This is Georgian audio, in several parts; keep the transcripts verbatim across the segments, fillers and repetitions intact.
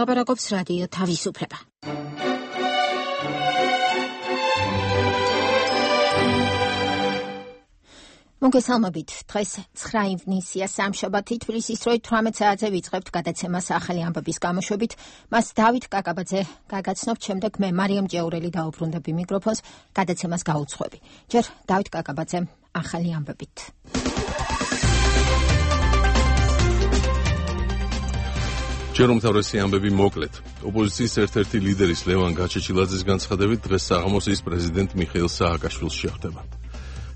ლაპარაკობს რადიო თავისუფლება. მოგესალმებით. დღეს ცხრა ივნისია სამშაბათი, თბილისის დროით თვრამეტ საათზე ვიწყებთ გადაცემას ახალი ამბების გამოშვებით. მას დავით კაკაბაძე გაგაცნობთ, შემდეგ მე მარიამ ჭეურელი დაუბრუნდები მიკროფონს, გადაცემას გაუძღვები. ჯერ დავით კაკაბაძემ ახალი ამბებით. ჯერ უმთავრესი ამბები მოკლედ. ოპოზიციის ერთ-ერთი ლიდერის ლევან გაჩეჩილაძის განცხადებით დღეს საღამოს ის პრეზიდენტ მიხეილ სააკაშვილს შეხვდება.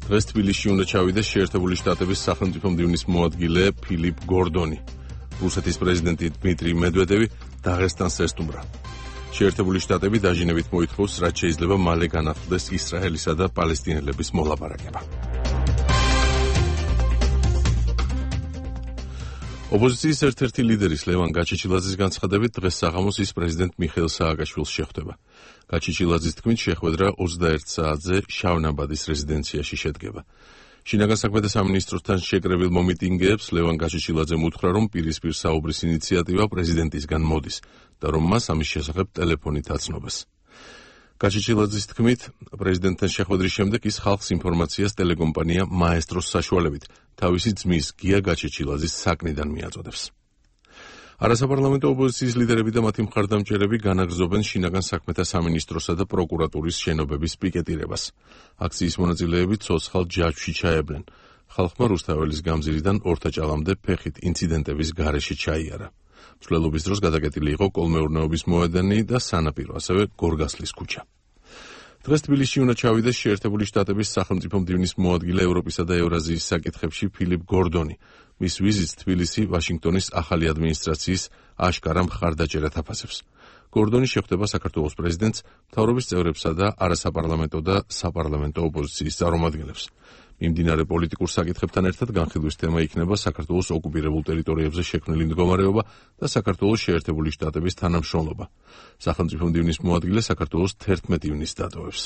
დღეს თბილისში უნდა ჩავიდეს შეერთებული შტატების სახელმწიფო მდივნის მოადგილე ფილიპ გორდონი. რუსეთის პრეზიდენტი დმიტრი მედვედევი დაღესტანს ესტუმრა. შეერთებული შტატები დაჟინებით მოითხოვს, რაც შეიძლება მალე განახლდეს ისრაელისა და პალესტინელების მოლაპარაკება. ოპოზიციის ერთ-ერთი ლიდერის ლევან გაჩეჩილაძის განცხადებით დღეს საღამოს ის პრეზიდენტ მიხეილ სააკაშვილს შეხვდება. გაჩეჩილაძის თქმით, შეხვედრა ოცდაერთ საათზე შავნაბადის რეზიდენციაში შედგება. შინაგან საქმეთა სამინისტროსთან შეკრებილ მომიტინგეებს ლევან გაჩეჩილაძემ უთხრა, რომ პირისპირ საუბრის ინიციატივა პრეზიდენტისგან მოდის და რომ მას ამის შესახებ ტელეფონით აცნობეს. გაჩეჩილაძის თქმით, პრეზიდენტთან შეხვედრის შემდეგ ის ხალხს ინფორმაციას ტელეკომპანია მაესტროს საშუალებით თავისი ძმის გია გაჩეჩილაძის საკნიდან მიაწოდებს. არასაპარლამენტო ოპოზიციის ლიდერები და მათი მხარდამჭერები განაგრძობენ შინაგან საქმეთა სამინისტროსა და პროკურატურის შენობების პიკეტირებას. აქციის მონაწილეები ცოცხალ ჯაჭვში ჩაევლენ. ხალხმა რუსთაველის გამზირიდან ორთაჭალამდე ფეხით ინციდენტების გარეშე ჩაიარა. მსვლელობის დროს გადაკეტილი იყო კოლმეურნეობის მოედანი და სანაპირო, ასევე გორგასლის ქუჩა. დღეს თბილისში უნდა ჩავიდეს შეერთებული შტატების სახელმწიფო მდივნის მოადგილე ევროპისა და ევრაზიის საკითხებში ფილიპ გორდონი. მის ვიზიტს თბილისი ვაშინგტონის ახალი ადმინისტრაციის აშკარა მხარდაჭერად აფასებს. გორდონი შეხვდება საქართველოს პრეზიდენტს, მთავრობის წევრებსა და არასაპარლამენტო და საპარლამენტო ოპოზიციის წარმომადგენლებს. მიმდინარე პოლიტიკურ საკითხებთან ერთად განხილვის თემა იქნება საქართველოს ოკუპირებულ ტერიტორიებზე შექმნილი მდგომარეობა და საქართველოს შეერთებული შტატების თანამშრომლობა. სახელმწიფო მდივნის მოადგილე საქართველოს თერთმეტ ივნისს დატოვებს.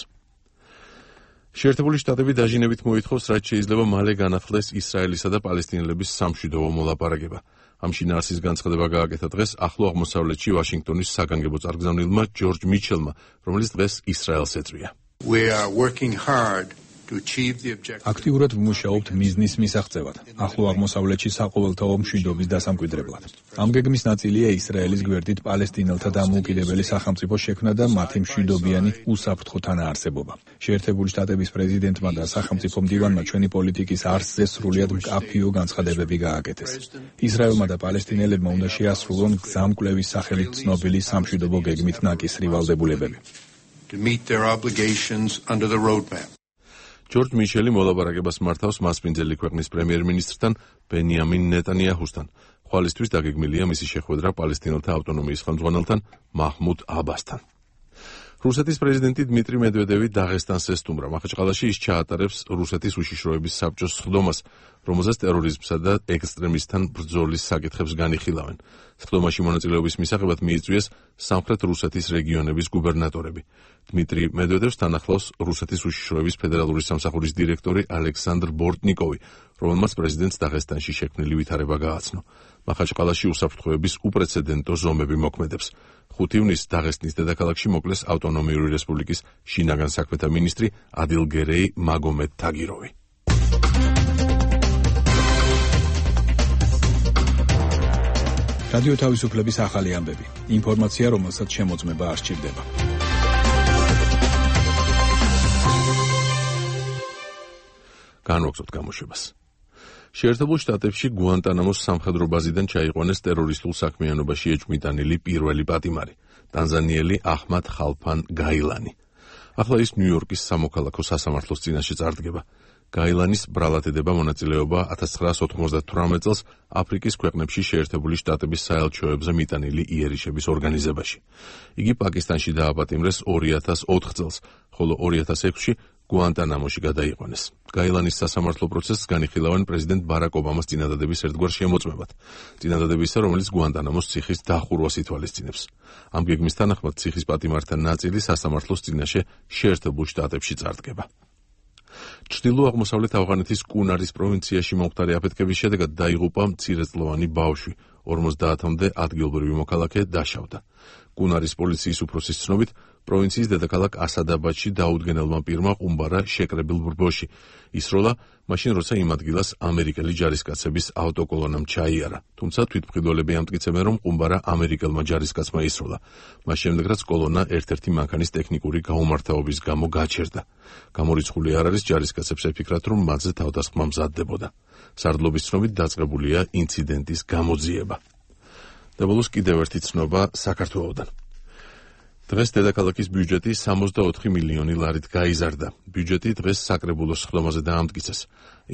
შეერთებული შტატები დაჟინებით მოითხოვს, რაც შეიძლება მალე განახლდეს ისრაელისა და პალესტინელების სამშვიდობო მოლაპარაკება. ამ შინაარსის განცხადება გააკეთა დღეს ახლო აღმოსავლეთში ვაშინგტონის საგანგებო წარგზავნილმა ჯორჯ მიჩელმა, რომელიც დღეს ისრაელს ეწვია. We are working hard აქტიურად ვმუშაობთ მიზნის მისაღწევად, ახლო აღმოსავლეთში საყოველთაო მშვიდობის დასამკვიდრებლად. ამ გეგმის ნაწილია ისრაელის გვერდით პალესტინელთა დამოუკიდებელი სახელმწიფო შექმნა და მათი მშვიდობიანი უსაფრთხო თანაარსებობა. შეერთებული შტატების პრეზიდენტმა და სახელმწიფო მდივანმა ჩვენი პოლიტიკის არსზე სრულიად მკაფიო განცხადებები გააკეთეს. ისრაელმა და პალესტინელებმა უნდა შეასრულონ გზამკვლევის სახელით ცნობილი სამშვიდობო გეგმით ნაკისრი ვალდებულებები. to meet their obligations under the roadmap. ჯორჯ მიჩელი მოლაპარაკებას მართავს მასპინძელი ქვეყნის პრემიერ-მინისტრთან ბენიამინ ნეტანიაჰუსთან. ხვალისთვის დაგეგმილია მისი შეხვედრა პალესტინელთა ავტონომიის ხელმძღვანელთან მაჰმუდ აბასთან. რუსეთის პრეზიდენტი დმიტრი მედვედევი დაღესტანს ესტუმრა. მახაჩყალაში ის ჩაატარებს რუსეთის უშიშროების საბჭოს სხდომას, რომელზეც ტერორიზმსა და ექსტრემისტთან ბრძოლის საკითხებს განიხილავენ. სხდომაში მონაწილეობის მისაღებად მიიწვიეს სამხრეთ რუსეთის რეგიონების გუბერნატორები. დმიტრი მედვედევს თან ახლავს რუსეთის უშიშროების ფედერალური სამსახურის დირექტორი ალექსანდრ ბორტნიკოვი, რომელმაც პრეზიდენტს დაღესტანში შექმნილი ვითარება გააცნო. მახაჩყალაში უსაფრთხოების უპრეცედენტო ზომები მოქმედებს. ხუთი ივნისს დაღესტნის დედაქალაქში მოკლეს ავტონომიური რესპუბლიკის შინაგან საქმეთა მინისტრი ადილგერეი მაგომედ თაგიროვი. რადიო თავისუფლების ახალი ამბები. ინფორმაცია, რომელსაც შემოწმება არ სჭირდება. განვაგრძობთ გამოშვებას. შეერთებულ შტატებში გუანტანამოს სამხედრო ბაზიდან ჩაიყვანეს ტერორისტულ საქმიანობაში ეჭვმიტანილი პირველი პატიმარი, ტანზანიელი აჰმად ხალფან გაილანი. ახლა ის ნიუ-იორკის სამოქალაქო სასამართლოს წინაშე წარდგება. გაილანის ბრალად ედება მონაწილეობა ათას ცხრაასი ოთხმოცდათვრამეტ წელს აფრიკის ქვეყნებში შეერთებული შტატების საელჩოებზე მიტანილი იერიშების ორგანიზებაში. იგი პაკისტანში დააპატიმრეს ორი ათას ოთხ წელს, ხოლო ორი ათას ექვსში გუანტანამოში გადაიყვანეს. გაილანის სასამართლო პროცესს განიხილავენ პრეზიდენტ ბარაკ ობამას წინადადების ერთგვარ შემოწმებად. წინადადებისა, რომელიც გუანტანამოს ციხის დახურვას ითვალისწინებს. ამ გეგმის თანახმად ციხის პატიმართა ნაწილი სასამართლოს წინაშე შეერთებულ შტატებში წარდგება. ჩრდილო-აღმოსავლეთ ავღანეთის კუნარის პროვინციაში მომხდარი აფეთქების შედეგად დაიღუპა მცირეწლოვანი ბავშვი, ორმოცდაათამდე ადგილობრივი მოქალაქე დაშავდა. კუნარის პოლიციის უფროსის ცნობით, პროვინციის დედაქალაქ ასადაბადში დაუდგენელმა პირმა ყუმბარა შეკრებილ ბრბოში. ისროლა მაშინ, როცა იმ ადგილას ამერიკელი ჯარისკაცების ავტოკოლონამ ჩაიარა. თუმცა თვითმფრინველები ამტკიცებენ, რომ ყუმბარა ამერიკელმა ჯარისკაცმა ისროლა. მას შემდეგ, რაც კოლონა ერთ-ერთი მანქანის ტექნიკური გაუმართავობის გამო გაჩერდა. გამორიცხული არ არის, ჯარისკაცებს ეფიქრათ, რომ მათზე თავდასხმა მზადდებოდა. სარდლობის ცნობით დაწყებულია ინციდენტის გამოძიება. და ბოლოს კიდევ ერთი ცნობა საქართველოდან. დღეს დედაქალაქის ბიუჯეტი სამოცდაოთხი მილიონი ლარით გაიზარდა. ბიუჯეტი დღეს საკრებულოს სხდომაზე დაამტკიცეს.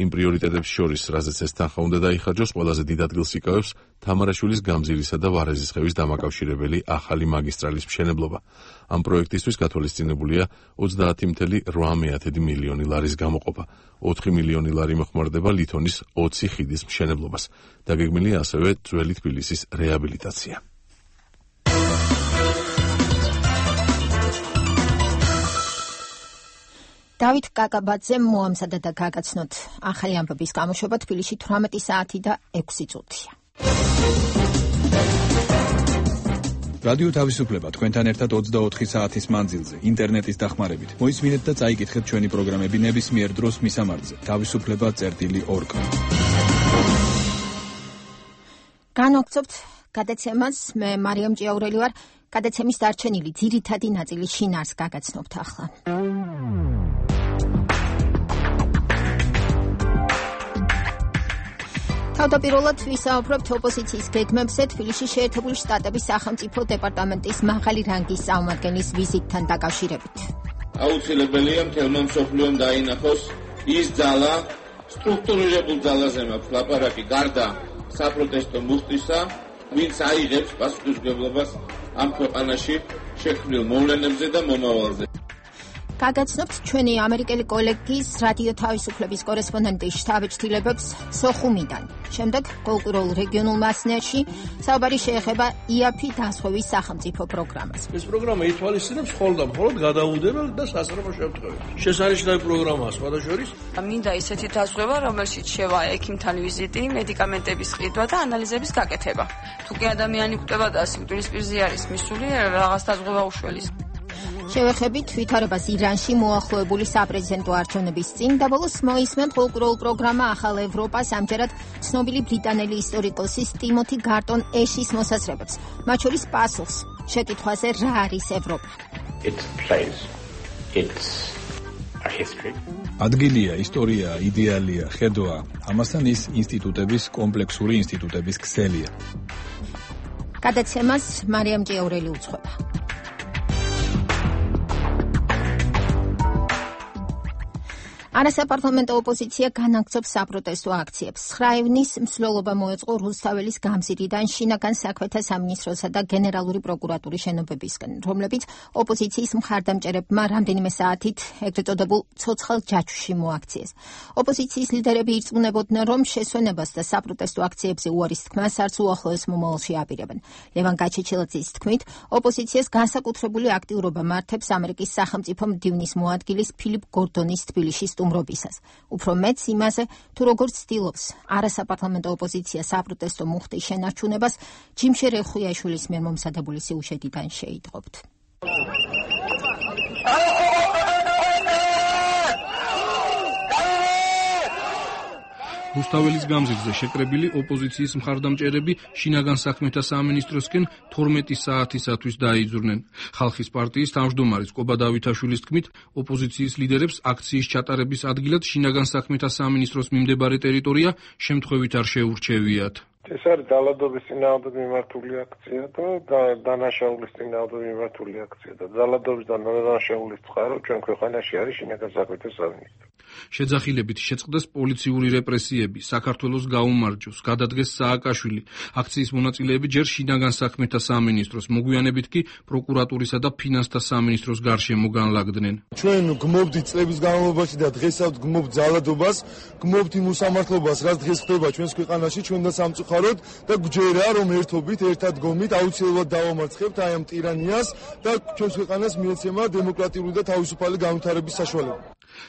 იმ პრიორიტეტებს შორის, რაზეც ეს თანხა უნდა დაიხარჯოს, ყველაზე დიდ ადგილს იკავებს თამარაშვილის გამზირისა და ვარეზისხევის დამაკავშირებელი ახალი მაგისტრალის მშენებლობა. ამ პროექტისთვის გათვალისწინებულია ოცდაათი მცდარი რვა მილიონი ლარის გამოყოფა. ოთხი მილიონი ლარი მოხმარდება ლითონის ოცი ხიდის მშენებლობას. დაგეგმილია ასევე ძველი თბილისის რეაბილიტაცია. დავით კაკაბაძემ მოამზადა და გაგაცნოთ ახალი ამბების გამოშვება თბილისში თვრამეტი საათი და ექვსი წუთია. რადიო თავისუფლება თქვენთან ერთად ოცდაოთხი საათის მანძილზე ინტერნეტის დახმარებით. მოისმინეთ და წაიკითხეთ ჩვენი პროგრამები ნებისმიერ დროს მისამართზე თავისუფლება წერტილი ორ კა. განვაგრძობთ გადაცემას, მე მარიამ ჭიაურელი ვარ. გადაცემის დარჩენილი ძირითადი ნაწილი შინარს გაგაცნობთ ახლა. თავდაპირველად ვისაუბრებთ ოპოზიციის გეგმებზე თბილისში შეერთებული შტატების სახელმწიფო დეპარტამენტის მაღალი რანგის წარმომადგენლის ვიზიტთან დაკავშირებით. აუცილებელია მთელმა მსოფლიომ დაინახოს ის ძალა, სტრუქტურირებულ ძალაზე მაქვს ლაპარაკი გარდა საპროტესტო მუხტისა, ვინც აიღებს პასუხისმგებლობას ამ ქვეყანაში შექმნილ მოვლენებზე და მომავალზე. გაგაცნობთ ჩვენი ამერიკელი კოლეგის რადიო თავისუფლების კორესპონდენტის შთაბეჭდილებებს სოხუმიდან. შემდეგ კულტურულ რეგიონულ მასნერში საუბარი შეეხება იაფი დასხევის სახელმწიფო პროგრამას. ეს პროგრამა ითვალისწინებს მხოლოდ და მხოლოდ გადაუდებელ და სასწრაფო შემთხვევებში. შესანიშნავი პროგრამაა სხვადასხვა. მინდა ისეთი დასხევა, რომელშიც შევა ექიმთან ვიზიტი, მედიკამენტების ყიდვა და ანალიზების გაკეთება. თუ კი ადამიანი კვდება და სიკვდილის პირზე არის მისული, რაღაც დაზღვევა უშველის. შევეხებით ვითარებას ირანში მოახლოებული საპრეზიდენტო არჩევნების წინ და ბოლოს მოისმენთ კულტურულ პროგრამა ახალ ევროპას, ამჯერად ცნობილი ბრიტანელი ისტორიკოსის ტიმოთი გარტონ ეშის მოსაზრებებს, მათ შორის პასუხს შეკითხვაზე რა არის ევროპა. ადგილია, ისტორია, იდეალია, ხედვა, ამასთან ის ინსტიტუტების, კომპლექსური ინსტიტუტების ქსელია. გადაცემას მარიამ ჭიაურელი უძღვება. არასაპარლამენტო ოპოზიცია განაგრძობს საპროტესტო აქციებს. ცხრა ივნის მსვლელობა მოეწყო რუსთაველის გამზირიდან შინაგან საქმეთა სამინისტროსა და გენერალური პროკურატურის შენობებისკენ, რომლებიც ოპოზიციის მხარდამჭერებმა რამდენიმე საათით ეგრეთ წოდებულ ცოცხალ ჯაჭვში მოაქციეს. ოპოზიციის ლიდერები ირწმუნებოდნენ, რომ შესვენებას და საპროტესტო აქციებზე უარის თქმას არც უახლოეს მომავალში აპირებენ. ლევან გაჩეჩილაძის თქმით, ოპოზიციას განსაკუთრებული აქტიურობა მართებს ამერიკის სახელმწიფო მდივნის მოადგილის ფილიპ გორდონის თბილისში სტუმრობისას. უფრო მეც იმაზე, თუ როგორ ცდილობს არასაპარლამენტო ოპოზიცია საპროტესტო მუხტის შენარჩუნებას, ჯიმშე რეხუიაშვილის მიერ მომზადებული სიუჟეტიდან შეიტყობთ. რუსთაველის გამზირზე შეკრებილი ოპოზიციის მხარდამჭერები შინაგან საქმეთა სამინისტროსკენ თორმეტი საათისათვის დაიძურნენ. ხალხის პარტიის თავმჯდომარის კობა დავითაშვილის თქმით, ოპოზიციის ლიდერებს აქციის ჩატარების ადგილად შინაგან საქმეთა სამინისტროს მიმდებარე ტერიტორია შემთხვევით არ შეურჩევიათ. ეს არის ძალადობის წინააღმდეგ მიმართული აქცია და დანაშაულის წინააღმდეგ მიმართული აქცია და ძალადობის და დანაშაულის წყარო ჩვენ ქვეყანაში არის შინაგან საქმეთა სამინისტრო. შეძახილებით შეწყდეს პოლიციური რეპრესიები, საქართველოს გაუმარჯოს, გადადგეს სააკაშვილი. აქციის მონაწილეები ჯერ შინაგან საქმეთა სამინისტროს, მოგვიანებით კი პროკურატურისა და ფინანსთა სამინისტროს გარშემო განლაგდნენ. ჩვენ გმობთ წლების განმავლობაში და დღესაც გმობთ ძალადობას, გმობთ იმ უსამართლობას, რაც დღეს ხდება ჩვენს ქვეყანაში, ჩვენ და სამწუხაროდ გავხაროთ და გვჯერა რომ ერთობით, ერთად გომით აუცილებლად დავამარცხებთ აი ამ ტირანიას და ჩვენს ქვეყანას მიეცემა დემოკრატიული და თავისუფალი განვითარების საშუალება.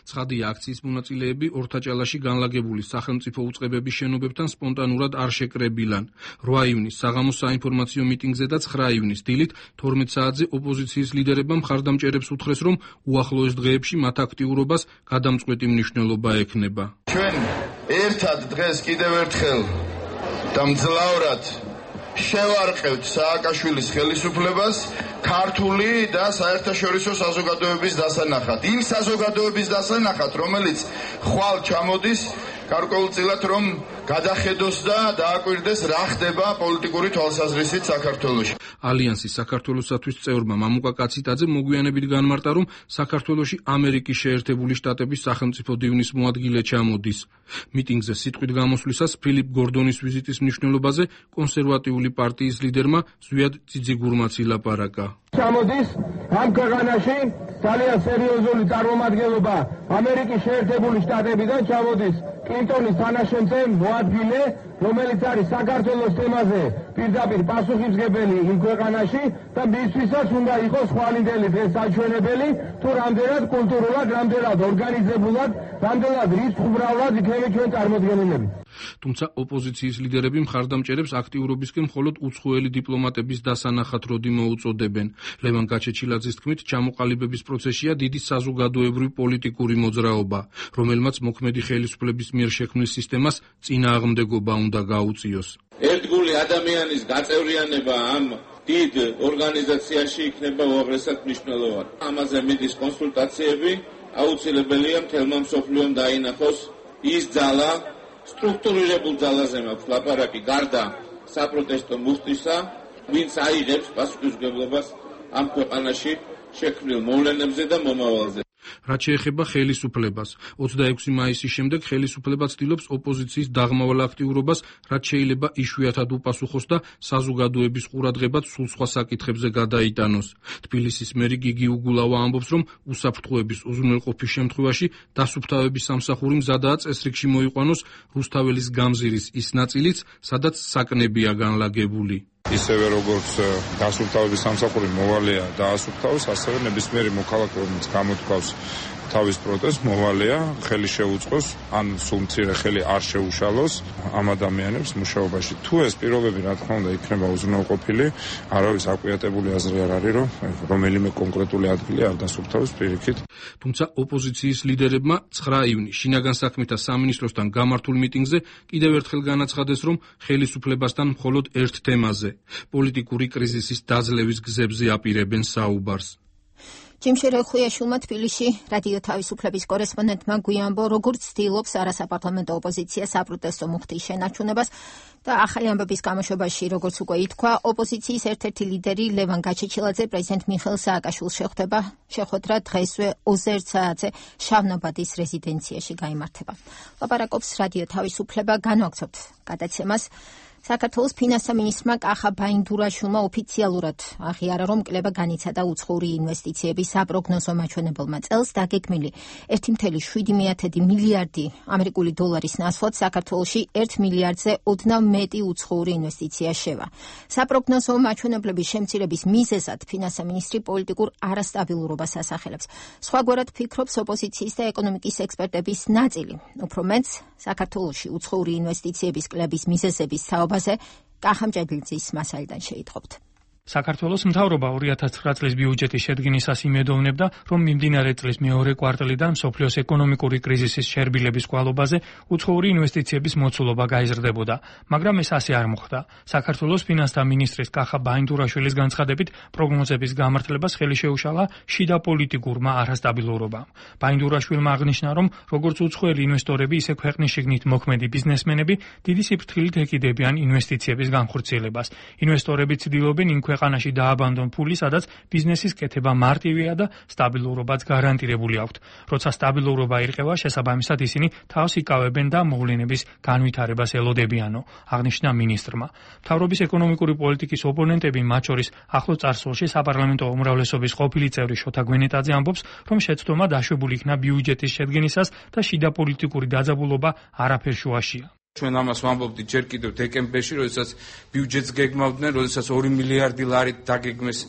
ცხადია, აქციის მონაწილეები ორთაჭალაში განლაგებული სახელმწიფო უწყებების შენობებთან სპონტანურად არ შეკრებილან. რვა ივნის საღამოს საინფორმაციო მიტინგზე და ცხრა ივნის დილით თორმეტ საათზე ოპოზიციის ლიდერებმა მხარდამჭერებს უთხრეს, რომ უახლოეს დღეებში მათ აქტიურობას გადამწყვეტი მნიშვნელობა ექნება. ჩვენ ერთად დღეს კიდევ ერთხელ და მძლავრად შევარყევთ სააკაშვილის ხელისუფლებას ქართული და საერთაშორისო საზოგადოების დასანახად. იმ საზოგადოების დასანახად, რომელიც ხვალ ჩამოდის გარკვეულწილად რომ გადახედოს და დააკვირდეს რა ხდება პოლიტიკური თვალსაზრისით საქართველოში. ალიანსის საქართველოსათვის წევრმა მამუკა კაციტაძე მოგვიანებით განმარტა, რომ საქართველოში ამერიკის შეერთებული შტატების სახელმწიფო დივნის მოადგილე ჩამოდის. მიტინგზე სიტყვით გამოსვლისას ფილიპ გორდონის ვიზიტის მნიშვნელობაზე კონსერვატიული პარტიის ლიდერმა ზვიად ძიძიგურმაც ილაპარაკა. ჩამოდის ამ ქვეყანაში ძალიან სერიოზული წარმომადგენლობა ამერიკის შეერთებული შტატებიდან ჩამოდის კლინტონის თანაშემწე მოადგილე, რომელიც არის საქართველოს თემაზე პირდაპირ პასუხისმგებელი იმ ქვეყანაში და მისთვისაც უნდა იყოს ხვალინდელი დღეს საჩვენებელი თუ რამდენად კულტურულად, რამდენად ორგანიზებულად, რამდენად რიცხვბრალად იქნება ჩვენ წარმოდგენილები. თუმცა ოპოზიციის ლიდერები მხარდამჭერებს აქტიურობისკენ მხოლოდ უცხოელი დიპლომატების დასანახად როდი მოუწოდებენ. ლევან გაჩეჩილაძის თქმით, ჩამოყალიბების პროცესია დიდი საზოგადოებრივი პოლიტიკური მოძრაობა, რომელმაც მოქმედი ხელისუფლების მიერ შექმნილ სისტემას წინააღმდეგობა უნდა გაუწიოს. ერთგული ადამიანის გაწევრიანება ამ დიდ ორგანიზაციაში იქნება უაღრესად მნიშვნელოვანი. ამაზე მიდის კონსულტაციები, აუცილებელია მთელმა მსოფლიომ დაინახოს ის ძალა, სტრუქტურირებულ ძალაზე მაქვს ლაპარაკი გარდა საპროტესტო მუხტისა, ვინც აიღებს პასუხისმგებლობას ამ ქვეყანაში შექმნილ მოვლენებზე და მომავალზე. რაც შეეხება ხელისუფლებას, ოცდაექვსი მაისის შემდეგ ხელისუფლება ცდილობს ოპოზიციის დაღმავალ აქტიურობას, რაც შეიძლება იშვიათად უპასუხოს და საზოგადოების ყურადღებაც სულ სხვა საკითხებზე გადაიტანოს. თბილისის მერი გიგი უგულავა ამბობს, რომ უსაფრთხოების უზრუნველყოფის შემთხვევაში დასუფთავების სამსახური მზადაა წესრიგში მოიყვანოს რუსთაველის გამზირის ის ნაწილიც, სადაც საკნებია განლაგებული. ისევე როგორც დასუფთავების სამსახური მოვალეა დაასუფთავოს, ასევე ნებისმიერი მოქალაქე, რომელიც გამოთქვავს თავის პროტესტს, მოვალეა ხელი შეუწყოს, ან სულ მცირე ხელი არ შეუშალოს ამ ადამიანებს მუშაობაში. თუ ეს პირობები, რა თქმა უნდა, იქნება უზრუნველყოფილი, არავის აკვიატებული აზრი არ არის, რომ რომელიმე კონკრეტული ადგილი არ დასუფთავოს პირიქით. თუმცა ოპოზიციის ლიდერებმა ცხრა ივნის შინაგან საქმეთა სამინისტროსთან გამართულ მიტინგზე კიდევ ერთხელ განაცხადეს, რომ ხელისუფლებასთან მხოლოდ ერთ თემაზე, პოლიტიკური კრიზისის დაძლევის გზებზე აპირებენ საუბარს. ჯიმშე რეხუიაშვილმა თბილისში რადიო თავისუფლების კორესპონდენტმა გვიანბო, როგორც ცდილობს არასაპარლამენტო ოპოზიცია საპროტესტო მუხტის შენარჩუნებას და ახალი ამბების გამოშვებაში, როგორც უკვე ითქვა, ოპოზიციის ერთ-ერთი ლიდერი ლევან გაჩეჩილაძე პრეზიდენტ მიხეილ სააკაშვილს შეხვდება. შეხვედრა დღესვე ოცდაერთ საათზე შავნაბადის რეზიდენციაში გაიმართება. ლაპარაკობს რადიო თავისუფლება, განვაგრძობთ გადაცემას. საქართველოს ფინანსთა მინისტრმა კახა ბაინდურაშვილმა ოფიციალურად აღიარა, რომ კლება განიცადა უცხოური ინვესტიციების საპროგნოზო მაჩვენებელმა წელს დაგეგმილი ერთი კoma შვიდი მილიარდი ამერიკული დოლარის ნაცვლად საქართველოში ერთ მილიარდზე ოდნავ მეტი უცხოური ინვესტიცია შევა. საპროგნოზო მაჩვენებლების შემცირების მიზეზად ფინანსთა მინისტრი პოლიტიკურ არასტაბილურობას ასახელებს. სხვაგვარად ფიქრობს ოპოზიციის და ეკონომიკის ექსპერტების ნაწილი. უფრო მეტს, საქართველოში უცხოური ინვესტიციების კლების მიზეზების თაობა კახა მჭედლიძის მასალიდან შეიტყობთ. საქართველოს მთავრობა ორი ათას ცხრა წლის ბიუჯეტის შედგენისას იმედოვნებდა, რომ მიმდინარე წლის მეორე კვარტალიდან მსოფლიოს ეკონომიკური კრიზისის შერბილების კვალობაზე უცხოური ინვესტიციების მოცულობა გაიზრდებოდა, მაგრამ ეს ასე არ მოხდა. საქართველოს ფინანსთა მინისტრის კახა ბაინდურაშვილის განცხადებით, პროგნოზების გამართლებას ხელი შეუშალა შიდა პოლიტიკურმა არასტაბილურობამ. ბაინდურაშვილმა აღნიშნა, რომ როგორც უცხოელი ინვესტორები, ისე ქვეყნის შიგნით მოქმედი ბიზნესმენები დიდი სიფრთხილით ეკიდებიან ინვესტიციების განხორციელებას. ინვესტორები ცდილობენ იმ ქვეყანაში დააბანდონ ფული, სადაც ბიზნესის კეთება მარტივია და სტაბილურობაც გარანტირებული აქვთ. როცა სტაბილურობა ირყევა, შესაბამისად ისინი თავს იკავებენ და მოვლენების განვითარებას ელოდებიანო, აღნიშნა მინისტრმა. მთავრობის ეკონომიკური პოლიტიკის ოპონენტები, მათ შორის ახლო წარსულში საპარლამენტო უმრავლესობის ყოფილი წევრი შოთა გვენეტაძე ამბობს, რომ შეცდომა დაშვებული იქნა ბიუჯეტის შედგენისას და შიდა პოლიტიკური დაძაბულობა არაფერ შუაშია. ჩვენ ამას ვამბობდით ჯერ კიდევ დეკემბერში, როდესაც ბიუჯეტს გეგმავდნენ, როდესაც ორი მილიარდი ლარი დაგეგმეს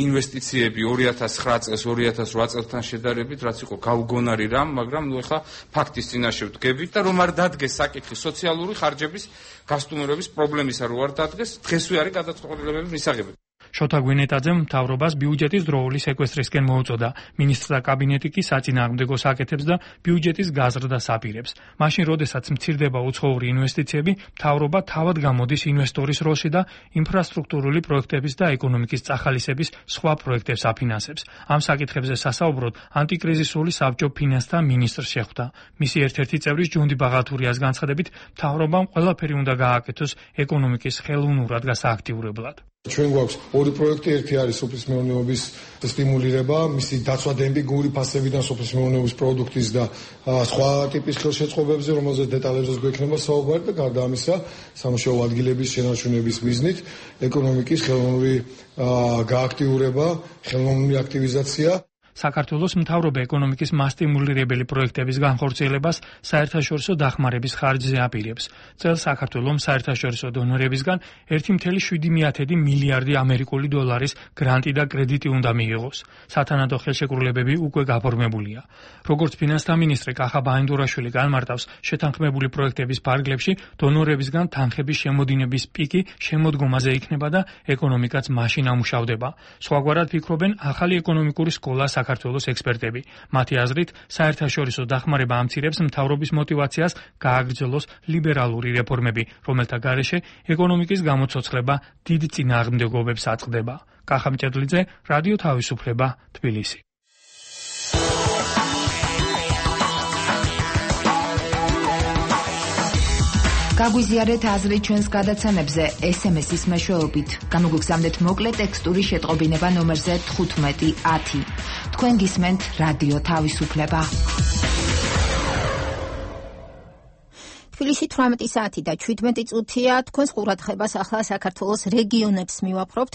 ინვესტიციები ორი ათას ცხრა წელს ორი ათას რვა წელთან შედარებით, რაც იყო გაუგონარი რამ, მაგრამ ნუ ეხლა ფაქტის წინაშე ვდგებით და რომ არ დადგეს საკითხი სოციალური ხარჯების გასტუმრების პრობლემისა რო არ დადგეს, დღესვე არის გადაწყვეტილებების მისაღები. შოთა გვინეტაძემ მთავრობას ბიუჯეტის დროული სეკვესტრისკენ მოუწოდა. მინისტრთა კაბინეტი კი საწინააღმდეგოს აკეთებს და ბიუჯეტის გაზრდას აპირებს. მაშინ, როდესაც მცირდება უცხოური ინვესტიციები, მთავრობა თავად გამოდის ინვესტორის როლში და ინფრასტრუქტურული პროექტების და ეკონომიკის წახალისების სხვა პროექტებს აფინანსებს. ამ საკითხებზე სასაუბროდ ანტიკრიზისული საბჭო ფინანსთა მინისტრს შეხვდა. მისი ერთ-ერთი წევრის ჯუნდი ბაღათურიას განცხადებით, მთავრობამ ყველაფერი უნდა გააკეთოს ეკონომიკის ხელოვნურად გასააქტიურებლად. ჩვენ გვაქვს ორი პროექტი, ერთი არის სოფლის მეურნეობის სტიმულირება, მისი დაცვა დემპინგური ფასებიდან სოფლის მეურნეობის პროდუქტის და სხვა ტიპის ხელშეწყობებზე, რომელზეც დეტალებზეც გვექნება საუბარი და გარდა ამისა, სამუშაო ადგილების შენარჩუნების მიზნით ეკონომიკის ხელოვნური გააქტიურება, ხელოვნური აქტივიზაცია. საქართველოს მთავრობა ეკონომიკის მასტიმულირებელი პროექტების განხორციელებას საერთაშორისო დახმარების ხარჯზე აპირებს. წელს საქართველომ საერთაშორისო დონორებისგან ერთი კoma შვიდი მილიარდი ამერიკული დოლარის გრანტი და კრედიტი უნდა მიიღოს. სათანადო ხელშეკრულებები უკვე გაფორმებულია. როგორც ფინანსთა მინისტრი კახა ბაინდურაშვილი განმარტავს, შეთანხმებული პროექტების ფარგლებში დონორებისგან თანხების შემოდინების პიკი შემოდგომაზე იქნება და ეკონომიკაც მაშინ ამუშავდება. სხვაგვარად ფიქრობენ ახალი ეკონომიკური სკოლა საქართველოს ექსპერტები. მათი აზრით, საერთაშორისო დახმარება ამცირებს მთავრობის მოტივაციას გააგრძელოს ლიბერალური რეფორმები, რომელთა გარეშე ეკონომიკის გამოცოცხლება დიდ წინააღმდეგობებს აწყდება. კახა მჭედლიძე, რადიო თავისუფლება, თბილისი. გაგვიზიარეთ აზრი ჩვენს გადაცემებზე ეს ემ ეს-ის მეშვეობით. გამოგვიგზავნეთ მოკლე ტექსტური შეტყობინება ნომერზე თხუთმეტი ათი. თქვენ გისმენთ რადიო თავისუფლება. თბილისში თვრამეტი საათი და შვიდმეტი წუთია. თქვენს ყურადღებას ახლა საქართველოს რეგიონებს მივაპყრობთ.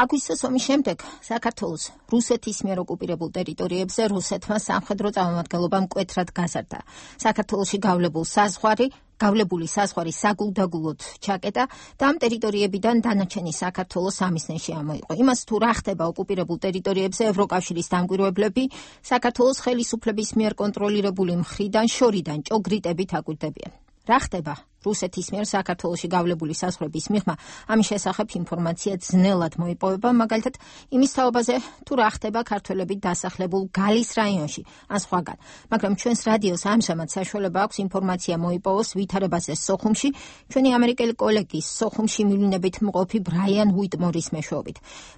აგვისტოს ომის შემდეგ საქართველოს რუსეთის მიერ ოკუპირებულ ტერიტორიებზე რუსეთმა სამხედრო წარმომადგენლობა მკვეთრად გაზარდა. საქართველოში გავლებულ საზღვარი გავლებული საზღვარი საგულდაგულოდ ჩაკეტა და ამ ტერიტორიებიდან დანარჩენი საქართველოს სამიზნეში ამოიყო. იმას თუ რა ხდება ოკუპირებულ ტერიტორიებზე ევროკავშირის დამკვირვებლები საქართველოს ხელისუფლების მიერ კონტროლირებული მხრიდან შორიდან ჭოგრიტებით აკვირდებიან. რა ხდება რუსეთის მიერ საქართველოში გავლებული საზღვრების მიღმა, ამის შესახებ ინფორმაცია ძნელად მოიპოვება, მაგალითად იმის თაობაზე თუ რა ხდება ქართველებით დასახლებულ გალის რაიონში ან სხვაგან. მაგრამ ჩვენს რადიოს ამჟამად საშუალება აქვს ინფორმაცია მოიპოვოს ვითარებაზე სოხუმში, ჩვენი ამერიკელი კოლეგის სოხუმში მივლინებით მყოფი ბრაიან უიტმორის მეშვეობით.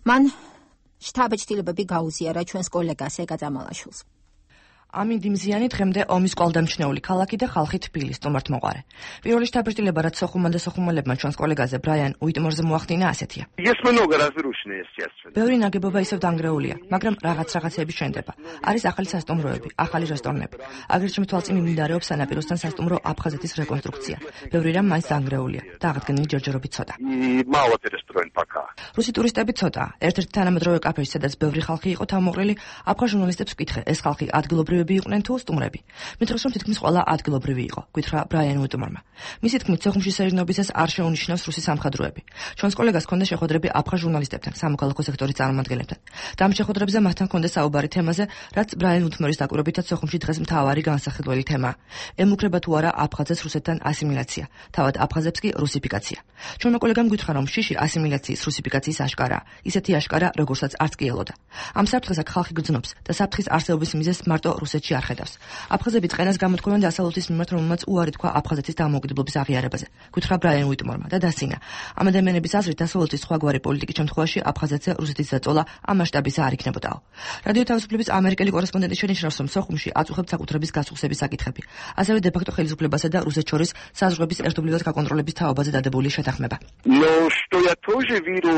მან შთაბეჭდილებები გაუზიარა ჩვენს კოლეგას ეკა წამალაშვილს. ამინდი მზიანი დღემდე ომის კვალდამჩნეული ქალაქი და ხალხი თბილის სტუმართ მოყარე. პირველი შთაბეჭდილება რაც სოხუმმა და სოხუმელებმა ჩვენს კოლეგაზე ბრაიან უიტმორზე მოახდინა ასეთია. Есть много разрушено, естественно. ბევრი ნაგებობა ისევ დანგრეულია, მაგრამ რაღაც რაღაცები შენდება. არის ახალი სასტუმროები, ახალი რესტორნები. აგრეთვე თვალწინ მიმდინარეობს სანაპიროსთან სასტუმრო აფხაზეთის რეკონსტრუქცია. ბევრი რამ მაინც დანგრეულია და აღდგენილი ჯერჯერობით ცოტა. И мало перестроен пока. რუსი ტურისტები ცოტა. ერთ-ერთი თანამედროვე კაფეში, სადაც ბევრი ხალხი იყო თავმოყრილი, აფხაზ ჟურნალისტებს ვკითხე, ეს ხალხი ადგილობრივი იყვნენ თუ სტუმრები. მითხრობს რომ თითქმის ყველა ადგილობრივი იყო, გითხრა ბრაიან უიტმორმა. მისი თქმით, სოხუმში სერინობისას არ შეუნიშნავს რუსი სამხედროები. ჩვენს კოლეგას ჰქონდა შეხვედრები აფხაზ ჟურნალისტებთან, სამოქალაქო სექტორის წარმომადგენლებთან. და ამ შეხვედრებზე მათთან ჰქონდა საუბარი თემაზე, რაც ბრაიან უიტმორის დაკვირვებითაც სოხუმში დღეს მთავარი განსახილველი თემაა. ემუქრება თუ არა აფხაზებს რუსეთთან ასიმილაცია, თავად აფხაზებს კი რუსიფიკაცია. ჩვენმა კოლეგამ გითხრა რომ შიში ასიმილაციის რუსიფიკაციის აშკარაა, ისეთი აშკარა, როგორცაც არც კი ელოდა. ამ საფრთხეს აქ ხალხი გრძნობს და საფრთხის არსებობის მიზეზს მარტო რუსეთში არ ხედავს. აფხაზები წენას გამოთქვამენ დასავლეთის მიმართ, რომელმაც უარი თქვა აფხაზეთის დამოუკიდებლობის აღიარებაზე. გითხრა ბრაიან უიტმორმა და დასინა. ამ ადამიანების აზრით დასავლეთის სხვაგვარი პოლიტიკის შემთხვევაში აფხაზეთზე რუსეთის დაწოლა ამ მასშტაბისა არ იქნებოდაო. რადიო თავისუფლების ამერიკელი კორესპონდენტი შენიშნავს, რომ სოხუმში აწუხებს საკუთრების გასუხსების საკითხები. ასევე დე-ფაქტო ხელისუფლებასა და რუსეთს შორის საზღვრების ერთობლივად გაკონტროლების თაობაზე დადებული შეთანხმება. Но что я тоже вижу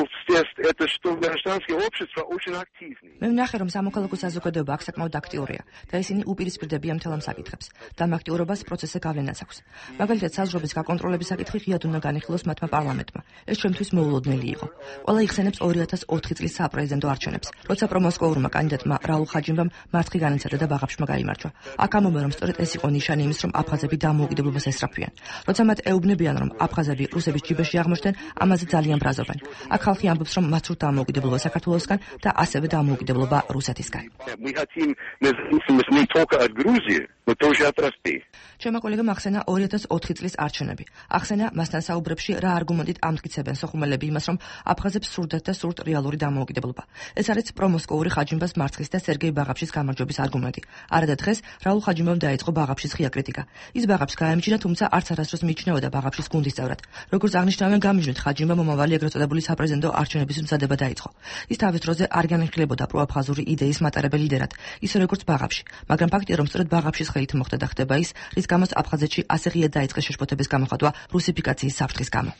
это что гражданское общество очень активное. მე ვნახე, რომ სამოქალაქო საზოგადოება აქ საკმაოდ აქტიურია და ისინი უპირისპირდებიან მთელ ამ საკითხებს და ამ აქტიურობას პროცესზე გავლენაც აქვს. მაგალითად, საზღვრების გაკონტროლების საკითხი ღიად უნდა განიხილოს მათმა პარლამენტმა. ეს ჩვენთვის მოულოდნელი იყო. ყველა იხსენებს ორი ათას ოთხი წლის საპრეზიდენტო არჩევნებს, როცა პრომოსკოურმა კანდიდატმა რაულ ხაჯიმბამ მარცხი განიცადა და ბაღაფშმა გაიმარჯვა. აქ ამბობენ, რომ სწორედ ეს იყო ნიშანი იმის, რომ აფხაზები დამოუკიდებლობას ესწრაფვიან. როცა მათ ეუბნებიან, რომ აფხაზები რუსების ჯიბეში აღმოჩნდნენ, ამაზე ძალიან ბრაზობენ. აქ ხალხი ამბობს, რომ მათ სურთ დამოუკიდებლობა საქართველოსგან და ასევე დამოუკიდებლობა რუსეთისგან. Мы хотим независимость не только от Грузии, но тоже от России. ჩემმა კოლეგამ ახსენა ორი ათას ოთხი წლის არჩევნები. ახსენა მასთან საუბრებში რა არგუმენტით ამტკიცებენ სოხუმელები იმას, რომ აფხაზებს სურდათ და სურთ რეალური დამოუკიდებლობა. ეს არის პრომოსკოური ხაჯიმბას მარცხის და სერგეი ბაღაფშის გამარჯვების არგუმენტი. არადა დღეს რაულ ხაჯიმბამ დაიწყო ბაღაფშის ღია კრიტიკა. ის ბაღაფს გაემჯინა, თუმცა არც არასდროს მიიჩნეოდა ბაღაფშის გუნდის წევრად. როგორც აღნიშნავენ, გამიჯნით ხაჯიმბამ მომავალი ეგრეთ წოდებული საპრეზიდენტო არჩევნების მზადება დაიწყო. ის თავის დროზე არ განიხილებოდა პროაფხაზური იდეის მატარებელ ლიდერად, ისე როგორც ბაღაფში, მაგრამ ფაქტია, რომ სწორედ ბაღაფშის ხელით მოხდა და ხდება ის, რის გამოც აფხაზეთში ასე ღიად დაიწყეს შეშფოთების გამოხატვა რუსიფიკაციის საფრთხის გამო.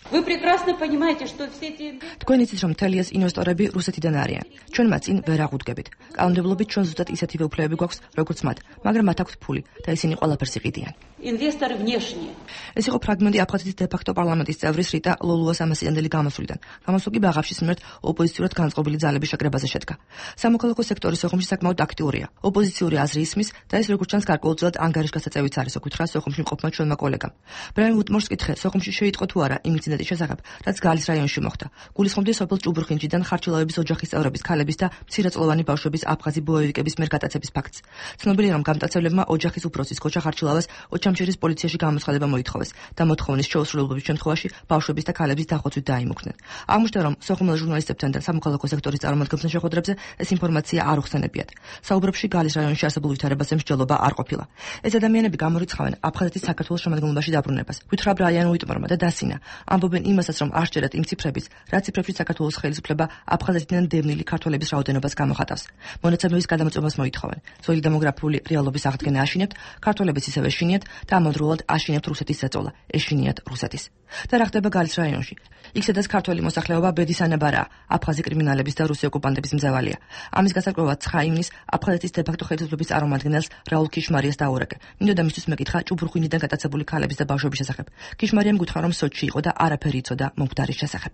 თქვენ იცით, რომ მთელი ეს ინვესტორები რუსეთიდან არიან. ჩვენ მათ წინ ვერ აღუდგებით. კანონმდებლობით ჩვენ ზუსტად ისეთივე უფლებები გვაქვს, როგორც მათ, მაგრამ მათ აქვთ ფული და ისინი ყველაფერს იყიდიან. ეს იყო ფრაგმენტი აფხაზეთის დე-ფაქტო პარლამენტის წევრის რიტა ლოლუას ამასიდანდელი გამოსვლიდან. გამოსვლა კი ბაღაფშის მიმართ ოპოზიციურად განწყობილი ძალების შეკრებაზე შედგა. სამოქალაქო სექტორი სოხუმში საკმაოდ აქტიურია. ოპოზიციური აზრი ისმის და ეს როგორც ჩანს გარკვეულწილად ანგარიშგასაწევიც არის, ოკითხა სოხუმში მყოფმა ჩვენმა კოლეგამ. ბრაიან ვუტმორს კითხე, სოხუმში შეიტყო თუ არა იმ ინციდენტის შესახებ, რაც გალის რაიონში მოხდა. გულისხმობდი სოფელ ჭუბურხინჯიდან ხარჩილავების ოჯახის წევრების, ქალების და მცირეწლოვანი ბავშვების აფხაზი ბოევიკების მიერ გატაცების ფაქტს. ცნობილია, რომ გამტაცებლებმა ოჯახის უფროსის ქოჩა ხარჩილავას ოჩამჩირის პოლიციაში გამოცხადება მოითხოვეს და მოთხოვნის შეუსრულებლობის შემთხვევაში ბავშვების და ქალების დახოცვით დაიმუქდნენ. აღმოჩნდა, რომ სოხუმელ ჟურნალისტებთან და სამოქალაქო სექტორის წარმომადგენლთა შეხვედრებზე ეს ინფორმაცია არ უხსენებიათ. საუბრებში გალის რაიონში არსებულ ვითარებაზე მსჯელობა არ ყოფილა. ეს ადამიანები გამორიცხავენ აფხაზეთის საქართველოს შემადგენლობაში დაბრუნებას. ვითხრა ბრაიან უიტმორმა და დასინა. ამბობენ იმასაც, რომ არ სჯერათ იმ ციფრების, რა ციფრებში საქართველოს ხელისუფლება აფხაზეთიდან დევნილი ქართველების რაოდენობას გამოხატავს. მონაცემების გადამოწმებას მოითხოვენ. ძველი დემოგრაფიული რეალობის აღდგენა აშინებთ, ქართველებიც ისევ ეშინიათ და ამავდროულად აშინებთ რუსეთის ზეწოლა, ეშინიათ რუსეთის. და რა ხდება გალის რაიონში? იქ სადაც ქართველი მოსახლეობა ბედის ანაბარაა, აფხაზი კრიმინალების და რუსი ოკუპანტების მძევალია. ამის გასაკვირვად ცხრა ივნისს აფხაზეთის დე-ფაქტო ხელისუფლების წარმომადგენელს რაულ ქიშმარიას დაურეკე. მინდოდა მისთვის მეკითხა ჭუბურხინიდან გატაცებული ქალების და ბავშვების შესახებ. ქიშმარიამ გითხრა, რომ სოჭში იყო და არაფერი იცოდა მომხდარის შესახებ.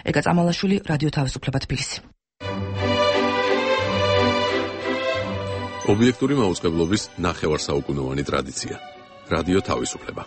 ეკა წამალაშვილი, რადიო თავისუფლება თბილისი. ობიექტური მაუწყებლობის ნახევარსაუკუნოვანი ტრადიცია. რადიო თავისუფლება.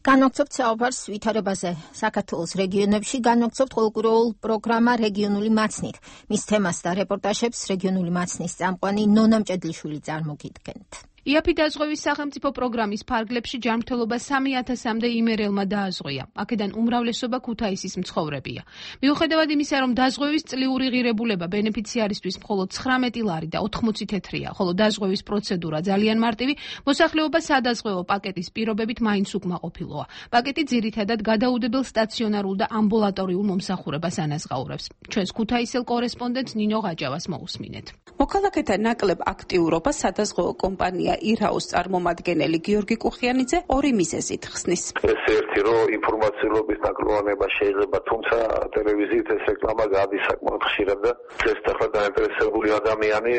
განვაგრძობთ საუბარს ვითარებაზე საქართველოს რეგიონებში, განვაგრძობთ ყოველკვირეულ პროგრამა რეგიონული მაცნით. მის თემას და რეპორტაჟებს რეგიონული მაცნის წამყვანი ნონა მჭედლიშვილი წარმოგიდგენთ. იაფი დაზღვევის სახელმწიფო პროგრამის ფარგლებში ჯანმრთელობა სამი ათასამდე იმერელმა დააზღვია. აქედან უმრავლესობა ქუთაისის მცხოვრებია. მიუხედავად იმისა, რომ დაზღვევის წლიური ღირებულება ბენეფიციარისთვის მხოლოდ ცხრამეტი ლარი და ოთხმოცი თეთრია, ხოლო დაზღვევის პროცედურა ძალიან მარტივი, მოსახლეობა სადაზღვევო პაკეტის პირობებით მაინც უკმაყოფილოა. პაკეტი ძირითადად გადაუდებელ სტაციონარულ და ამბულატორიულ მომსახურებას ანაზღაურებს. ჩვენს ქუთაისელ კორესპონდენტ ნინო ღაჯავას მოусმინეთ. მოქალაქეთა ნაკლებ აქტიურობა სადაზღვევო კომპანია ირაოს წარმომადგენელი გიორგი კუხიანიძე ორი მიზეზით ხსნის. ეს ერთი რომ ინფორმაციულობის ნაკლოვანება შეიძლება, თუმცა ტელევიზიით ეს რეკლამა გადის საკმაოდ ხშირად და ეს ახლა დაინტერესებული ადამიანი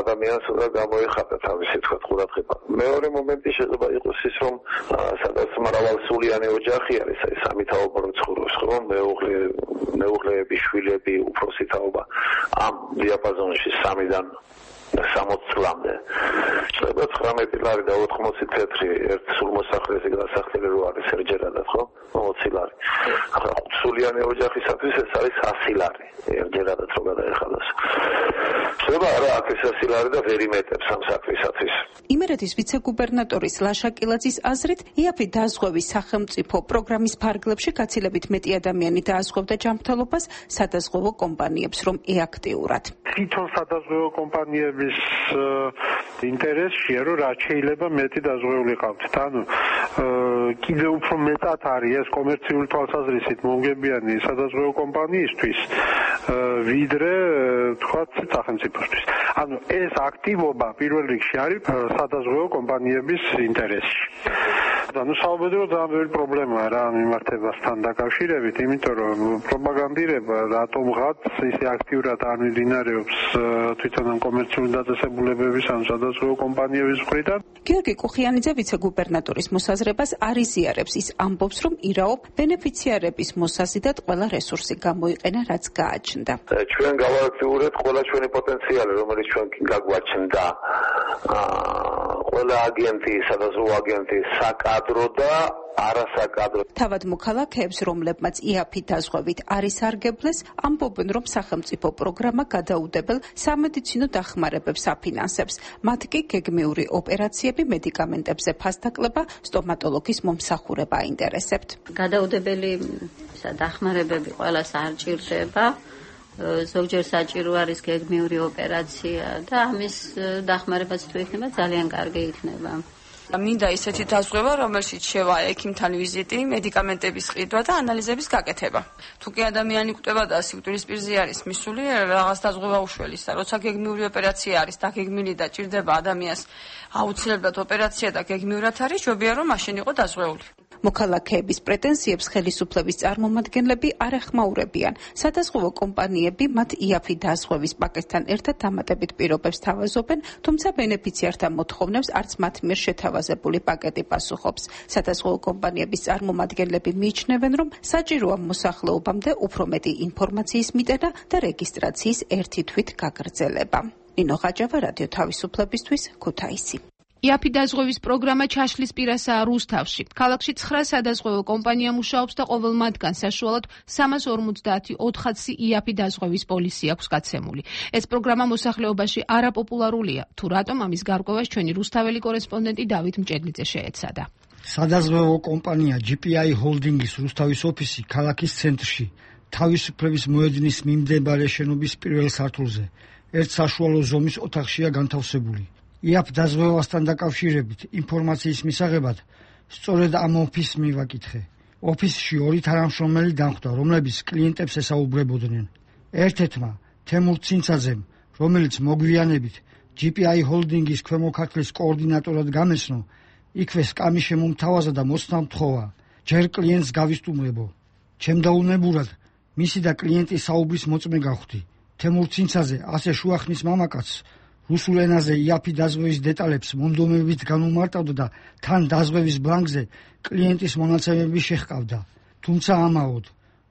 ადამიანს უნდა გამოიხატა თავისი თქვა ყურადღება. მეორე მომენტი შეიძლება იყოს ის, რომ სადაც მრავალსულიანი ოჯახი არის, აი სამი თაობა ცხოვრობს, ხო, მეუღლე, მეუღლეები, შვილები, უფროსი თაობა ამ დიაპაზონში სამიდან სამოცი წლამდე. შეიძლება ცხრამეტი ლარი და ოთხმოცი თეთრი ერთ სულმოსახლეზე გასახდელი რო არის ერჯერადად, ხო? ოცი ლარი. ახლა ხუთსულიანი ოჯახისათვის ეს არის ასი ლარი. ერჯერადად რო გადაეხადოს. შეიძლება არა აქ ეს ასი ლარი და ვერ იმეტებს ამ საქმისათვის. იმერეთის ვიცე-გუბერნატორის ლაშა კილაძის აზრით, იაფი დაზღვევის სახელმწიფო პროგრამის ფარგლებში გაცილებით მეტი ადამიანი დააზღვევდა ჯანმრთელობას სადაზღვევო კომპანიებს, რომ ეაქტიურად. თვითონ სადაზღვევო კომპანიების ინტერესია, რომ რაც შეიძლება მეტი დაზღვეული ყავთ. ანუ კიდევ უფრო მეტად არის ეს კომერციული თვალსაზრისით მომგებიანი სადაზღვევო კომპანიისთვის, ვიდრე თქვათ სახელმწიფოსთვის. ანუ ეს აქტივობა პირველ რიგში არის სადაზღვევო კომპანიების ინტერესში. ну საუბედრო ძალიან ბევრი პრობლემაა რა მიმართებასთან დაკავშირებით, იმიტომ რომ პროპაგანდირება რატომღაც ისე აქტიურად არ მიმდინარეობს თვითონ ამ კომერციული დაწესებულებების ან სადაზღვევო კომპანიების მხრიდან. გიორგი კუხიანიძე ვიცე-გუბერნატორის მოსაზრებას არ იზიარებს, ის ამბობს, რომ ირაობ ბენეფიციარების მოსაზიდად ყველა რესურსი გამოიყენა, რაც გააჩნდა. ჩვენ გავაქტიურებთ ყველა ჩვენი პოტენციალი, რომელიც ჩვენ გაგვაჩნდა. ყველა აგენტი, სადაზღვევო აგენტი საკადრო და არასაკადრო. თავად მოქალაქეებს, რომლებმაც იაფი დაზღვევით არის არგებლეს, ამბობენ, რომ სახელმწიფო პროგრამა გადაუდებელ სამედიცინო დახმარებებს აფინანსებს. მათ კი გეგმიური ოპერაციები, მედიკამენტებზე ფასდაკლება, სტომატოლოგის მომსახურება აინტერესებთ. გადაუდებელი დახმარებები ყველას არ ჭირდება. ზოგჯერ საჭირო არის გეგმიური ოპერაცია და ამის დახმარებაც თუ იქნება ძალიან კარგი იქნება. მინდა ისეთი დაზღვევა, რომელშიც შევა ექიმთან ვიზიტი, მედიკამენტების ყიდვა და ანალიზების გაკეთება. თუ კი ადამიანი კვდება და სიკვდილის პირზე არის მისული, რაღაც დაზღვევა უშველისა. როცა გეგმიური ოპერაცია არის დაგეგმილი და ჭირდება ადამიანს აუცილებლად ოპერაცია და გეგმიურად არის, ჯობია რომ მაშინ იყო დაზღვეული. მოქალაქეების პრეტენზიებს ხელისუფლების წარმომადგენლები არ ეხმაურებიან. სადაზღვევო კომპანიები მათ იაფი დაზღვევის პაკეტთან ერთად დამატებით პირობებს თავაზობენ, თუმცა ბენეფიციართა მოთხოვნებს არც მათ მიერ შეთავაზებული პაკეტი პასუხობს. სადაზღვევო კომპანიების წარმომადგენლები მიიჩნევენ, რომ საჭიროა მოსახლეობამდე უფრო მეტი ინფორმაციის მიტანა და რეგისტრაციის ერთი თვით გაგრძელება. ნინო ხაჯავა, რადიო თავისუფლებისთვის, ქუთაისი. იაფი დაზღვევის პროგრამა ჩაშლის პირასაა რუსთავში. ქალაქში ცხრა სადაზღვევო კომპანია მუშაობს და ყოველ მათგან საშუალოდ სამას ორმოცდაათი ოთხაცი იაფი დაზღვევის პოლისი აქვს გაცემული. ეს პროგრამა მოსახლეობაში არაპოპულარულია. თუ რატომ ამის გარკვევას ჩვენი რუსთაველი კორესპონდენტი დავით მჭედლიძე შეეცადა. სადაზღვევო კომპანია ჯი პი აი ჰოლდინგის რუსთავის ოფისი ქალაქის ცენტრში, თავისუფლების მოედნის მიმდებარე შენობის პირველ სართულზე, ერთ საშუალო ზომის ოთახშია განთავსებული. იაფ დაზღვევასთან დაკავშირებით ინფორმაციის მისაღებად სწორედ ამ ოფისს მივაკითხე. ოფისში ორი თანამშრომელი დამხვდა, რომლებიც კლიენტებს ესაუბრებოდნენ. ერთ-ერთმა თემურ ცინცაძემ, რომელიც მოგვიანებით ჯი პი აი ჰოლდინგის ქვემო ქართლის კოორდინატორად გამეცნო, იქვე სკამი შემომთავაზა და მოსწნა მთხოვა, ჯერ კლიენტს გავისტუმრებო. ჩემდაუნებურად მისი და კლიენტის საუბრის მოწმე გავხდი. თემურ ცინცაძე ასე შუახნის მამაკაცს რუსულ ენაზე იაფი დაზღვევის დეტალებს მონდომებით განუმარტავდა და თან დაზღვევის ბლანკზე კლიენტის მონაცემები შეჰყავდა. თუმცა ამაოდ,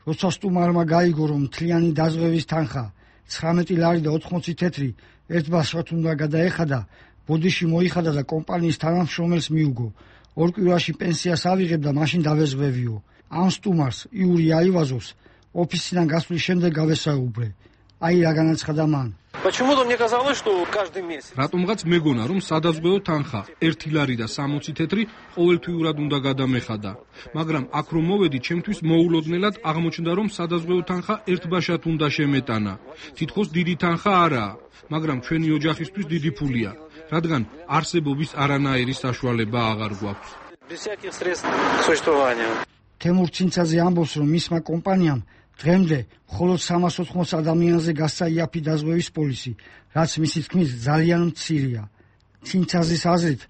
როცა სტუმარმა გაიგო, რომ მთლიანი დაზღვევის თანხა ცხრამეტი ლარი და ოთხმოცი თეთრი ერთ ბავშვად უნდა გადაეხადა, ბოდიში მოიხადა და კომპანიის თანამშრომელს მიუგო. ორ კვირაში პენსიას ავიღებ და მაშინ დავეზღვევიო. ამ სტუმარს იური აივაზოვს ოფისიდან გასვლის შემდეგ გავესაუბრე. აი რა განაცხადა მან. Почему-то мне казалось, что каждый месяц. რატომღაც მეგონა, რომ სადაზღვევო თანხა ერთი ლარი და სამოცი თეთრი ყოველთვიურად უნდა გადამეხადა. მაგრამ აქ რომ მოვედი, ჩემთვის მოულოდნელად აღმოჩნდა, რომ სადაზღვევო თანხა ერთბაშად უნდა შემეტანა. თითქოს დიდი თანხა არაა, მაგრამ ჩვენი ოჯახისთვის დიდი ფულია, რადგან არსებობის არანაირი საშუალება აღარ გვაქვს. Без всяких средств к существованию. თემურ ცინცაძე ამბობს, რომ მისმა კომპანიამ დღემდე მხოლოდ სამას ოთხმოც ადამიანზე გასცა იაფი დაზღვევის პოლისი, რაც მისი თქმით ძალიან მცირეა. ცინცაძის აზრით,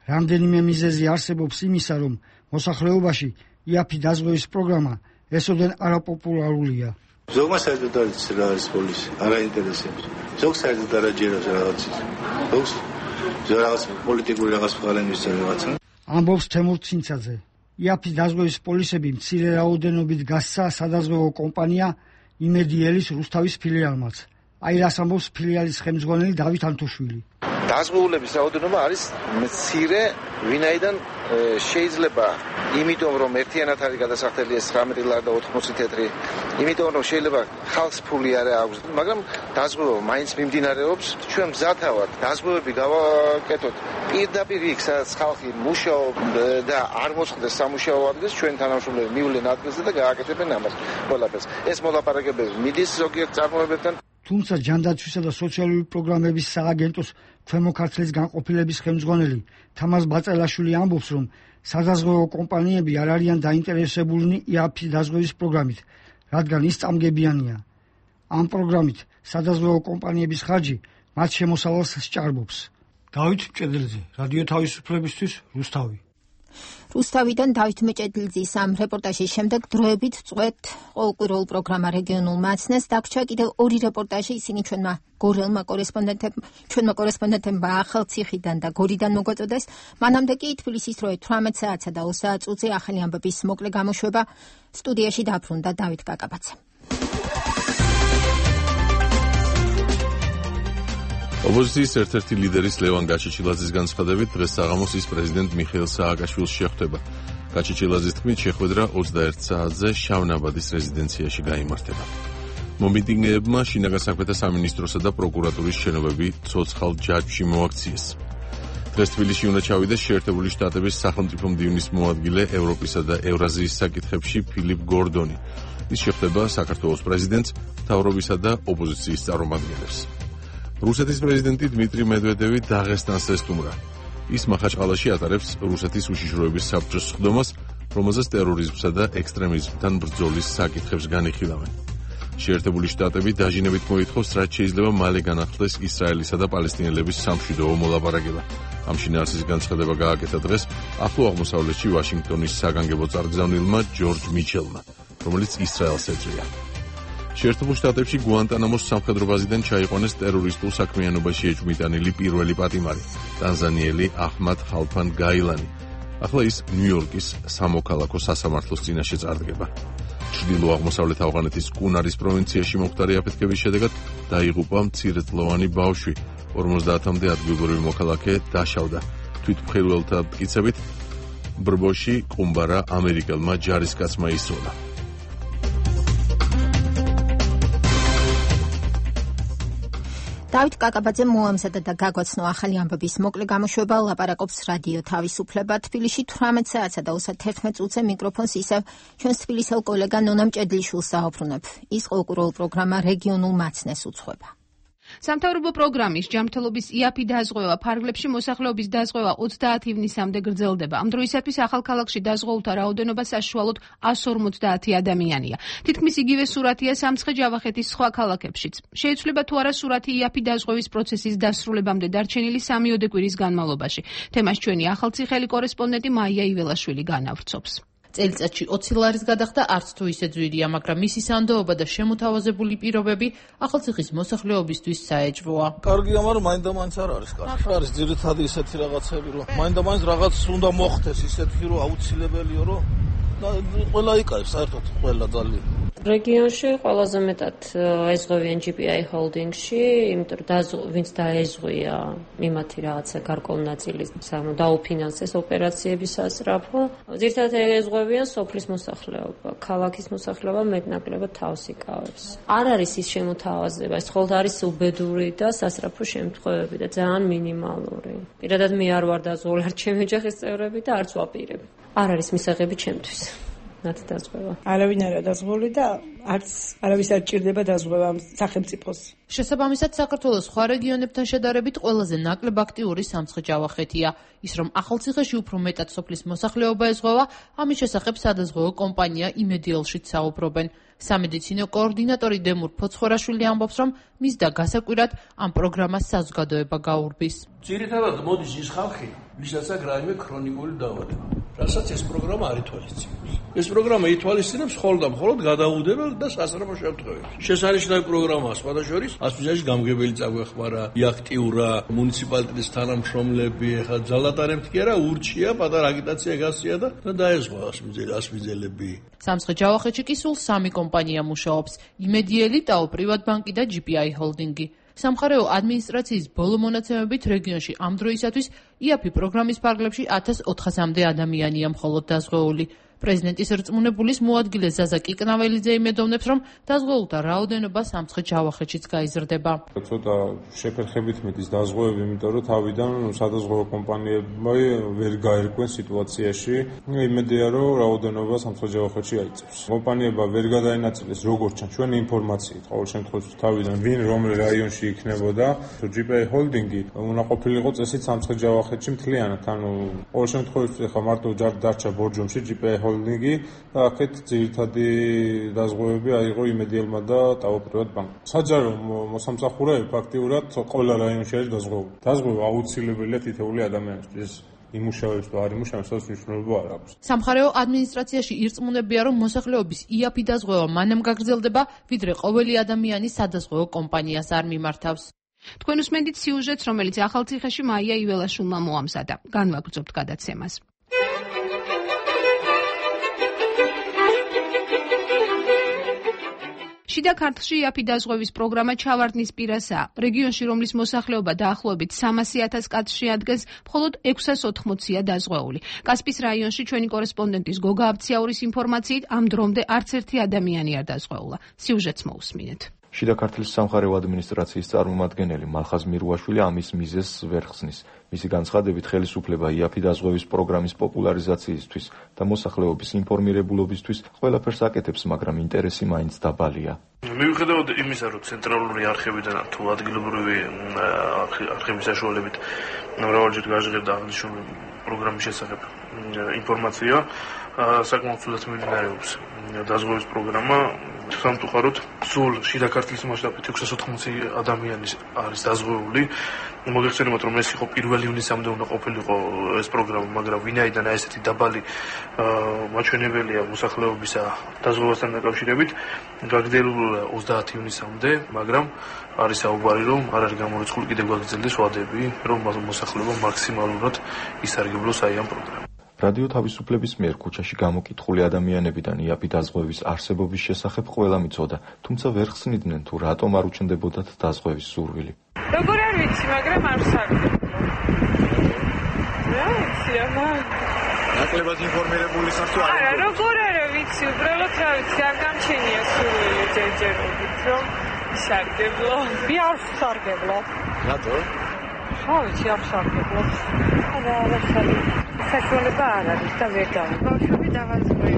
რამდენიმე მიზეზი არსებობს იმისა, რომ მოსახლეობაში იაფი დაზღვევის პროგრამა ესოდენ არაპოპულარულია. ზოგმა საერთოდ არ იცის რა არის პოლისი, არ აინტერესებს. ზოგს საერთოდ არ აჯერებს რაღაც ის. ზოგს რაღაც პოლიტიკური რაღაც ფარემის რაღაცა. ამბობს თემურ ცინცაძე. იაფი დაზღვევის პოლისები მცირე რაოდენობით გასცა სადაზღვევო კომპანია იმედიელის რუსთავის ფილიალმაც. აი რას ამბობს ფილიალის ხელმძღვანელი დავით ანთოშვილი. დაზღვეულების რაოდენობა არის მცირე, ვინაიდან შეიძლება, იმიტომ რომ ერთიანად არის გადასახდელი ეს ცხრამეტი ლარი და ოთხმოცი თეთრი, იმიტომ რომ შეიძლება ხალხს ფული არ აქვს, მაგრამ დაზღვევა მაინც მიმდინარეობს. ჩვენ მზათავად დაზღვევები გავაკეთოთ პირდაპირ იქ, სადაც ხალხი მუშაობს და არ მოწყდეს სამუშაო ადგილს, ჩვენ თანამშრომლები მივლენ ადგილზე და გააკეთებენ ამას ყველაფერს. ეს მოლაპარაკებები მიდის ზოგიერთ წარმოებებთან. თუმცა ჯანდაცვისა და სოციალური პროგრამების სააგენტოს ქვემო ქართლის განყოფილების ხელმძღვანელი თამაზ ბაწელაშვილი ამბობს, რომ სადაზღვევო კომპანიები არ არიან დაინტერესებულნი იაფი დაზღვევის პროგრამით, რადგან ის წამგებიანია. ამ პროგრამით სადაზღვევო კომპანიების ხარჯი მათ შემოსავალს სჭარბობს. დავით მჭედლიძე, რადიო თავისუფლებისთვის, რუსთავი. რუსთავიდან დავით მეჭედლიძის ამ რეპორტაჟის შემდეგ დროებით წვეთ ყოველკვირეულ პროგრამა რეგიონულ მაცნეს დაგვრჩა კიდევ ორი რეპორტაჟი, ისინი ჩვენმა გორელმა კორესპონდენტებმა ჩვენმა კორესპონდენტებმა ახალციხიდან და გორიდან მოგვაწოდეს. მანამდე კი თბილისის დროე თვრამეტ საათსა და ოცი წუთზე ახალი ამბების მოკლე გამოშვება. სტუდიაში დაბრუნდა დავით კაკაბაძე. ოპოზიციის ერთ-ერთი ლიდერის ლევან გაჩეჩილაძის განცხადებით დღეს საღამოს ის პრეზიდენტ მიხეილ სააკაშვილს შეხვდება. გაჩეჩილაძის თქმით, შეხვედრა ოცდაერთ საათზე შავნაბადის რეზიდენციაში გაიმართება. მომიტინგეებმა შინაგან საქმეთა სამინისტროსა და პროკურატურის შენობები ცოცხალ ჯაჭვში მოაქციეს. დღეს თბილისში უნდა ჩავიდეს შეერთებული შტატების სახელმწიფო მდივნის მოადგილე ევროპისა და ევრაზიის საკითხებში ფილიპ გორდონი. ის შეხვდება საქართველოს პრეზიდენტს, მთავრობისა და ოპოზიციის წარმომადგენლებს. რუსეთის პრეზიდენტი დმიტრი მედვედევი დაღესტანს ესტუმრა. ის მახაჩყალაში ატარებს რუსეთის უშიშროების საბჭოს სხდომას, რომელზეც ტერორიზმსა და ექსტრემიზმთან ბრძოლის საკითხებს განიხილავენ. შეერთებული შტატები დაჟინებით მოითხოვს, რაც შეიძლება მალე განახლდეს ისრაელისა და პალესტინელების სამშვიდობო მოლაპარაკება. ამ შინაარსის განცხადება გააკეთა დღეს ახლო აღმოსავლეთში ვაშინგტონის საგანგებო წარგზავნილმა ჯორჯ მიჩელმა, რომელიც ისრაელს ეწვია. შეერთებულ შტატებში გუანტანამოს სამხედრო ბაზიდან ჩაიყვანეს ტერორისტულ საქმიანობაში ეჭვმიტანილი პირველი პატიმარი, ტანზანიელი აჰმად ხალფან გაილანი. ახლა ის ნიუ-იორკის სამოქალაქო სასამართლოს წინაშე წარდგება. ჩრდილო-აღმოსავლეთ ავღანეთის კუნარის პროვინციაში მომხდარი აფეთქების შედეგად დაიღუპა მცირეწლოვანი ბავშვი. ორმოცდაათამდე ადგილობრივი მოქალაქე დაშავდა. თვითმხილველთა მტკიცებით ბრბოში ყუმბარა ამერიკელმა ჯარისკაცმა ისროლა. დავით კაკაბაძე მოამზადა და გაგვაცნო ახალი ამბების მოკლე გამოშვება. ლაპარაკობს რადიო თავისუფლება. თბილისში თვრამეტ საათსა და ოცდაერთმეტ წუთზე მიკროფონს ისევ ჩვენს თბილისელ კოლეგა ნონა მჭედლიშვილს საუბრობ. ის ყოველკვირეულ პროგრამა რეგიონულ მაცნეს უძღვება. სამთავრობო პროგრამის ჯანმრთელობის იაფი დაზღვევა ფარგლებში მოსახლეობის დაზღვევა ოცდაათი ივნისამდე გრძელდება. ამ დროისათვის ახალქალაქში დაზღვეულთა რაოდენობა საშუალოდ εκατს ორმოცდაათი ადამიანია. თითქმის იგივე სურათია სამცხე-ჯავახეთის სხვა ქალაქებშიც. შეიცვლება თუ არა სურათი იაფი დაზღვევის პროცესის დასრულებამდე დარჩენილი სამიოდე კვირის განმავლობაში. თემას ჩვენი ახალციხელი კორესპონდენტი მაია იველაშვილი განავრცობს. წელიწადში ოცი ლარის გადახდა არც თუ ისე ძვირია, მაგრამ მისი სანდოობა და შემოთავაზებული პირობები ახალციხის მოსახლეობისთვის საეჭვოა. კარგია, მაგრამ მაინდა-მაინც არ არის კარგი. არის ძირითადი ისეთი რაღაცები, რომ მაინდა-მაინც რაღაც უნდა მოხდეს ისეთი, რომ აუცილებელია, რომ ყველა იკაებს, საერთოდ ყველა ძალიან. რეგიონში ყველაზე მეტად ეზღვევიან ჯი პი აი ჰოლდინგში, იმიტომ რომ ვინც დაეზღვია იმათი რაღაცა გარკვეული ნაწილი დაუფინანსეს ოპერაციების სასწრაფო. ძირითადად ეზღვევიან სოფლის მოსახლეობა, ქალაქის მოსახლეობა მეტნაკლებად თავს იკავებს. არ არის ის შემოთავაზება, ეს მხოლოდ არის უბედური და სასწრაფო შემთხვევები და ძალიან მინიმალური. პირადად მე არ ვარ დაზღვეული, არ ჩემი ოჯახის წევრები და არც ვაპირებ. არ არის მისაღები ჩემთვის. ნათი დაზღვევა. არავინ არა დაზღვეული და არც არავის არ ჭირდება დაზღვევა სახელმწიფოს. შესაბამისად, საქართველოს სხვა რეგიონებთან შედარებით ყველაზე ნაკლებ აქტიური სამცხე-ჯავახეთია. ის რომ ახალციხეში უფრო მეტად სოფლის მოსახლეობა ეზღვევა, ამის შესახებ სადაზღვევო კომპანია იმედიელშიც საუბრობენ. სამედიცინო კოორდინატორი დემურ ფოცხოვაშვილი ამბობს, რომ მის და გასაკვირად ამ პროგრამას საზოგადოება გაურბის. ძირითადად მოდის ის ხალხი, ვისაც აქვს რაიმე ქრონიკული დაავადება. რასაც ეს პროგრამა არ ითვალისწინებს. ეს პროგრამა ითვალისწინებს მხოლოდ და მხოლოდ გადაუდებელ და სასწრაფო შემთხვევებში. შესანიშნავი პროგრამაა სხვადასხვა ასპიზიაში გამგებელი წაგვეხმარა, იაქტიურა, მუნიციპალიტეტის თანამშრომლები, ახლა ძალატარებთ კი არა, ურჩია, პატარა აგიტაცია გასწია და დაეზღვა ასპიზელები. სამცხე-ჯავახეთში კი სულ სამი კომპანია მუშაობს: იმედიელი, ტაო პრივატბანკი და ჯი პი აი ჰოლდინგი. სამხარეო ადმინისტრაციის ბოლო მონაცემებით რეგიონში ამ დროისათვის იაფი პროგრამის ფარგლებში ათას ოთხასამდე ადამიანია მხოლოდ დაზღვეული. პრეზიდენტის რწმუნებულის მოადგილე ზაზა კიკნაველიძე იმედოვნებს, რომ დაზღვეულთა რაოდენობა სამცხე-ჯავახეთშიც გაიზრდება. ცოტა შეფერხებით მიდის დაზღვევები, იმიტომ რომ თავიდან სადაზღვევო კომპანიები ვერ გაერკვენ სიტუაციაში. იმედია, რომ რაოდენობა სამცხე-ჯავახეთში აიწევს. კომპანიებმა ვერ გადაინაწილეს როგორც ჩან ჩვენი ინფორმაციით, ყოველ შემთხვევაში თავიდან ვინ რომელ რაიონში იქნებოდა. ჯი პი აი ჰოლდინგი უნდა ყოფილიყო წესით სამცხე-ჯავახეთში მთლიანად. ანუ ყოველ შემთხვევაში ხა მარტო დარჩა ბორჯომში ჯი პი აი ჰოლდინგი და აქეთ ძირითადი დაზღვევები აიღო იმედიელმა და ტაო პრივატბანკმა. საჯარო მოსამსახურეები ფაქტიურად ყველა რაიონში არის დაზღვეული. დაზღვევა აუცილებელია თითოეული ადამიანისთვის. იმუშავებს თუ არ იმუშავებს, ეს მნიშვნელობა არ აქვს. სამხარეო ადმინისტრაციაში ირწმუნებია, რომ მოსახლეობის იაფი დაზღვევა მანამ გაგრძელდება, ვიდრე ყოველი ადამიანი სადაზღვეო კომპანიას არ მიმართავს. თქვენ უსმენთ სიუჟეტს, რომელიც ახალციხეში მაია იველაშვილმა მოამზადა. განვაგრძობთ გადაცემას. შიდა ქართლში იაფი დაზღვევის პროგრამა ჩავარდნის პირასაა. რეგიონში, რომლის მოსახლეობა დაახლოებით სამასი ათას კაცს შეადგენს, მხოლოდ ექვსას ოთხმოცია დაზღვეული. კასპის რაიონში ჩვენი კორესპონდენტის გოგა აბციაურის ინფორმაციით, ამ დრომდე არც ერთი ადამიანი არ დაზღვეულა. სიუჟეტს მოусმინეთ. შიდა ქართლის სამხარეო ადმინისტრაციის წარმომადგენელი მალხაზ მირუაშვილი ამის მიზეზს ვერ ხსნის. მისი განცხადებით, ხელისუფლება იაფი დაზღვევის პროგრამის პოპულარიზაციისთვის და მოსახლეობის ინფორმირებულობისთვის ყველაფერს აკეთებს, მაგრამ ინტერესი მაინც დაბალია. მიუხედავად იმისა, რომ ცენტრალური არხებიდან თუ ადგილობრივი არხების საშუალებით მრავალჯერ გაჟღერდა აღნიშნული პროგრამის შესახებ ინფორმაცია, საკმაოდ ცუდად მიმდინარეობს დაზღვევის პროგრამა. სამწუხაროდ, სულ შიდა ქართლის მასშტაბით ექვსას ოთხმოცი ადამიანი არის დაზღვეული. მოგეხსენებათ, რომ ეს იყო პირველი ივნისამდე უნდა ყოფილიყო ეს პროგრამა, მაგრამ ვინაიდან ესეთი დაბალი მაჩვენებელია მოსახლეობისა დაზღვევასთან დაკავშირებით, გაგრძელებულია ოცდაათი ივნისამდე, მაგრამ არის საუბარი, რომ არ არის გამორიცხული კიდევ გაგრძელდეს ვადები, რომ მოსახლეობა მაქსიმალურად ისარგებლოს აი ამ პროგრამით. რადიო თავისუფლების მიერ ქუჩაში გამოკითხული ადამიანებიდან იაფი დაზღვევის არსებობის შესახებ ყველა მიცოდა, თუმცა ვერ ხსნიდნენ თუ რატომ არ უჩნდებოდათ დაზღვევის სურვილი. როგორ არ ვიცი, მაგრამ არ სარგებლო. რა ვიცი, აბა. ნაკლებად ინფორმირებული ხარ თუ არა? არა, როგორ არა ვიცი, უბრალოდ რა ვიცი, არ გამჩენია სურვილი ჯერჯერობით, რომ სარგებლო. მე არ სარგებლო. რატო? რა ვიცი, არ სარგებლო. არა, არ სარგებლო. საშუალება არ არის და ვერ დავა. ბავშვები დავაზღვევი.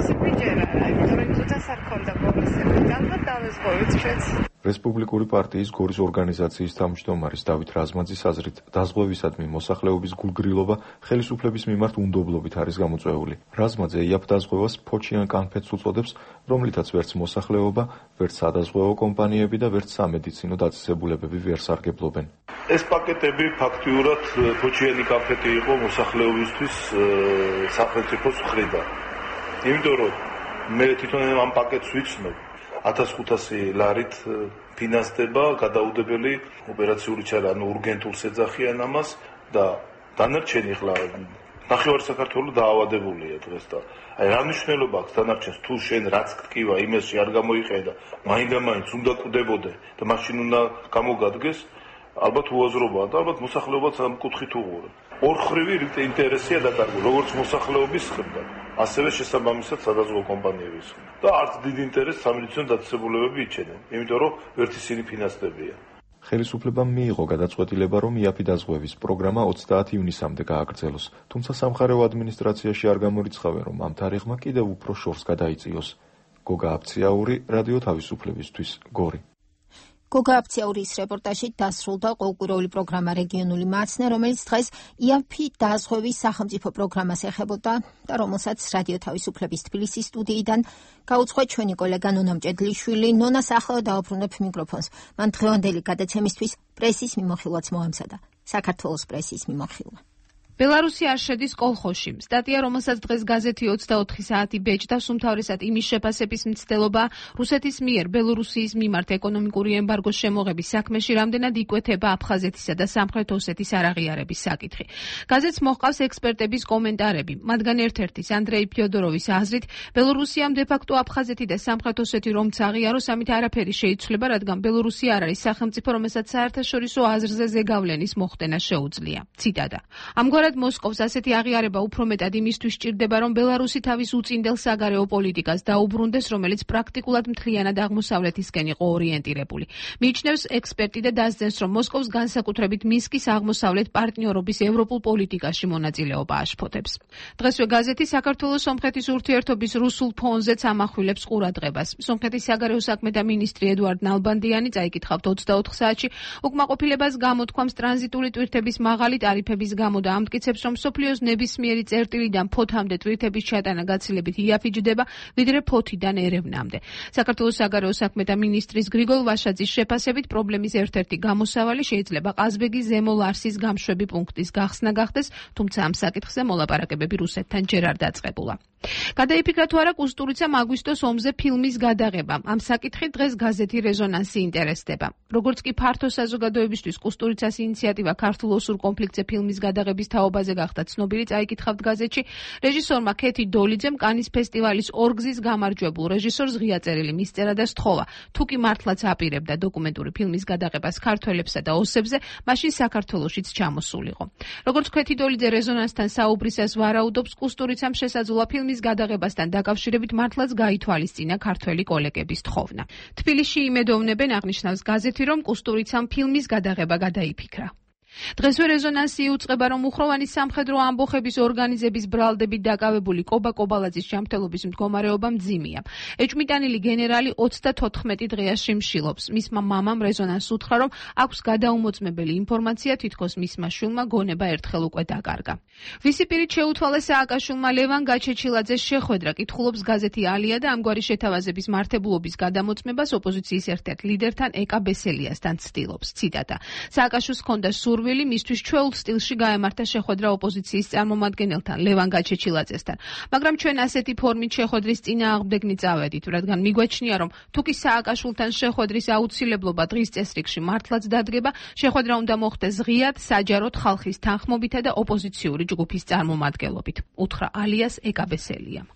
სიჯერა, იმიტომ რომ თუთას არ ქონდა ბოლოსები. ალბათ დავაზღვევით ჩვენც. რესპუბლიკური პარტიის გორის ორგანიზაციის თავმჯდომარის დავით რაზმაძის აზრით, დაზღვევისადმი მოსახლეობის გულგრილობა ხელისუფლების მიმართ უნდობლობით არის გამოწვეული. რაზმაძე იაფ დაზღვევას ფოჩიან კანფეტს უწოდებს, რომლითაც ვერც მოსახლეობა, ვერც სადაზღვევო კომპანიები და ვერც სამედიცინო დაწესებულებები ვერ სარგებლობენ. ეს პაკეტები ფაქტიურად ფოჩიანი კანფეტი იყო მოსახლეობისთვის სახელმწიფოს მხრიდან. იმიტომ რომ მე თვითონ ამ პაკეტს ვიცნობ, ათას ხუთასი ლარით ფინანსდება გადაუდებელი ოპერაციული ჩარა, ანუ ურგენტულს ეძახიან ამას და დანარჩენი ხლა ნახევარი საქართველოს დაავადებულია დღეს და აი რა მნიშვნელობა აქვს დანარჩენს თუ შენ რაც გტკივა იმასში არ გამოიყენდა, მაინდა-მაინც უნდა კვდებოდე და მაშინ უნდა გამოგადგეს, ალბათ უაზრობაა და ალბათ მოსახლეობაც ამ კუთხით უღურა. ორხრივი ინტერესია დაკარგული, როგორც მოსახლეობის მხრიდან, ასევე შესაბამისად სადაზღვევო კომპანიების მხრიდან. და არც დიდ ინტერესს სამედიცინო დაწესებულებები იჩენენ, იმიტომ რომ ერთ ისინი ფინანსდებიან. ხელისუფლებამ მიიღო გადაწყვეტილება, რომ იაფი დაზღვევის პროგრამა ოცდაათი ივნისამდე გააგრძელოს, თუმცა სამხარეო ადმინისტრაციაში არ გამორიცხავენ, რომ ამ თარიღმა კიდევ უფრო შორს გადაიწიოს. გოგა აბციაური, რადიო თავისუფლებისთვის, გორი. გოგა აბციაურის რეპორტაჟით დასრულდა ყოველკვირეული პროგრამა რეგიონული მაცნე, რომელიც დღეს იაფი დაზღვევის სახელმწიფო პროგრამას ეხებოდა და რომელსაც რადიო თავისუფლების თბილისის სტუდიიდან გაუძღვა ჩვენი კოლეგა ნონა მჭედლიშვილი. ნონას ახლა დაუბრუნებ მიკროფონს. მან დღევანდელი გადაცემისთვის პრესის მიმოხილვაც მოამზადა. საქართველოს პრესის მიმოხილვა. ბელარუსი არ შედის კოლხოში. სტატია, რომელსაც დღეს გაზეთი ოცდაოთხი საათი ბეჭდავს, უმთავრესად იმის შეფასების მცდელობა რუსეთის მიერ ბელორუსიის მიმართ ეკონომიკური ემბარგოს შემოღების საქმეში რამდენად იკვეთება აფხაზეთისა და სამხრეთ ოსეთის არაღიარების საკითხი. გაზეთს მოჰყავს ექსპერტების კომენტარები. მათგან ერთ-ერთის ანდრეი ფიოდოროვის აზრით, ბელორუსიამ დე-ფაქტო აფხაზეთი და სამხრეთ ოსეთი რომც აღიაროს, ამით არაფერი შეიცვლება, რადგან ბელორუსია არ არის სახელმწიფო, რომელსაც საერთაშორისო აზრზე ზეგავლენის მოხდენა შეუძლია. ციტატა. ამგვარად მოსკოვს ასეთი აღიარება უფრო მეტად იმისთვის სჭირდება, რომ ბელარუსი თავის უწინდელ საგარეო პოლიტიკას დაუბრუნდეს, რომელიც პრაქტიკულად მთლიანად აღმოსავლეთისკენ იყო ორიენტირებული. მიიჩნევს ექსპერტი და დასძენს, რომ მოსკოვს განსაკუთრებით მინსკის აღმოსავლეთ პარტნიორობის ევროპულ პოლიტიკაში მონაწილეობა აშფოთებს. დღესვე გაზეთი საქართველოს სომხეთის ურთიერთობის რუსულ ფონზეც ამახვილებს ყურადღებას. სომხეთის საგარეო საქმეთა მინისტრი ედუარდ ნალბანდიანი წაიკითხავთ ოცდაოთხ საათში უკმაყოფილებას გამოთქვამს ტრანზიტული ტვირთების მაღალი ტარიფების გამო და ამ ამტკიცებს, რომ მსოფლიოს ნებისმიერი წერტილიდან ფოთამდე ტვირთების ჩატანა გაცილებით იაფიჯდება, ვიდრე ფოთიდან ერევნამდე. საქართველოს საგარეო საქმეთა მინისტრის გრიგოლ ვაშაძის შეფასებით პრობლემის ერთ-ერთი გამოსავალი შეიძლება ყაზბეგის ზემო ლარსის გამშვები პუნქტის გახსნა გახდეს, თუმცა ამ საკითხზე მოლაპარაკებები რუსეთთან ჯერ არ დაწყებულა. გადაიფიქრა თუ არა კუსტურიცამ აგვისტოს ომზე ფილმის გადაღება. ამ საკითხით დღეს გაზეთი რეზონანსი ინტერესდება. როგორც კი ფართო საზოგადოებისთვის კუსტურიცას ინიციატივა ქართულ ოსურ კონფლიქტზე ფილმის გადაღების თაობაზე გახდა ცნობილი, წაიკითხავთ გაზეთში, რეჟისორმა ქეთი დოლიძემ კანის ფესტივალის ორგზის გამარჯვებულ რეჟისორს ღია წერილი მისწერა და სთხოვა. თუ კი მართლაც აპირებდა დოკუმენტური ფილმის გადაღებას ქართველებსა და ოსებზე, მაშინ საქართველოშიც ჩამოსულიყო. როგორც ქეთი დოლიძე რეზონანსთან საუბრისას ვარაუდობს, კუსტურიცამ შესაძლოა ფილმის გადაღებასთან დაკავშირებით მართლაც გაითვალისწინა ქართველი კოლეგების თხოვნა. თბილისში იმედოვნებენ, აღნიშნავს გაზეთი, რომ კუსტურიცამ ფილმის გადაღება გადაიფიქრა. დღესვე რეზონანსი იუწყება, რომ უხროვანი სამხედრო ამბოხების ორგანიზების ბრალდებით დაკავებული კობა კობალაძის ჯანმრთელობის მდგომარეობა მძიმეა. ეჭვმიტანილი გენერალი ოცდათოთხმეტი დღეა შიმშილობს. მისმა მამამ რეზონანსს უთხრა, რომ აქვს გადაუმოწმებელი ინფორმაცია, თითქოს მისმა შვილმა გონება ერთხელ უკვე დაკარგა. ვისი პირით შეუთვალა სააკაშვილმა ლევან გაჩეჩილაძეს შეხვედრა, კითხულობს გაზეთი ალია და ამგვარი შეთავაზების მართებულობის გადამოწმებას ოპოზიციის ერთ-ერთ ლიდერთან ეკა ბესელიასთან ცდილობს. ციტატა: სააკაშვილს ჰქონდა სურვილი მისთვის ჩვეულ სტილში გაემართა შეხვედრა ოპოზიციის წარმომადგენელთან ლევან გაჩეჩილაძესთან, მაგრამ ჩვენ ასეთი ფორმით შეხვედრის წინააღმდეგნი წავედით, რადგან მიგვაჩნია, რომ თუ კი სააკაშვილთან შეხვედრის აუცილებლობა დღის წესრიგში მართლაც დადგება, შეხვედრა უნდა მოხდეს ღიად, საჯაროდ ხალხის თანხმობითა და ოპოზიციური ჯგუფის წარმომადგენლობით, უთხრა ალიას ეკა ბესელიამ.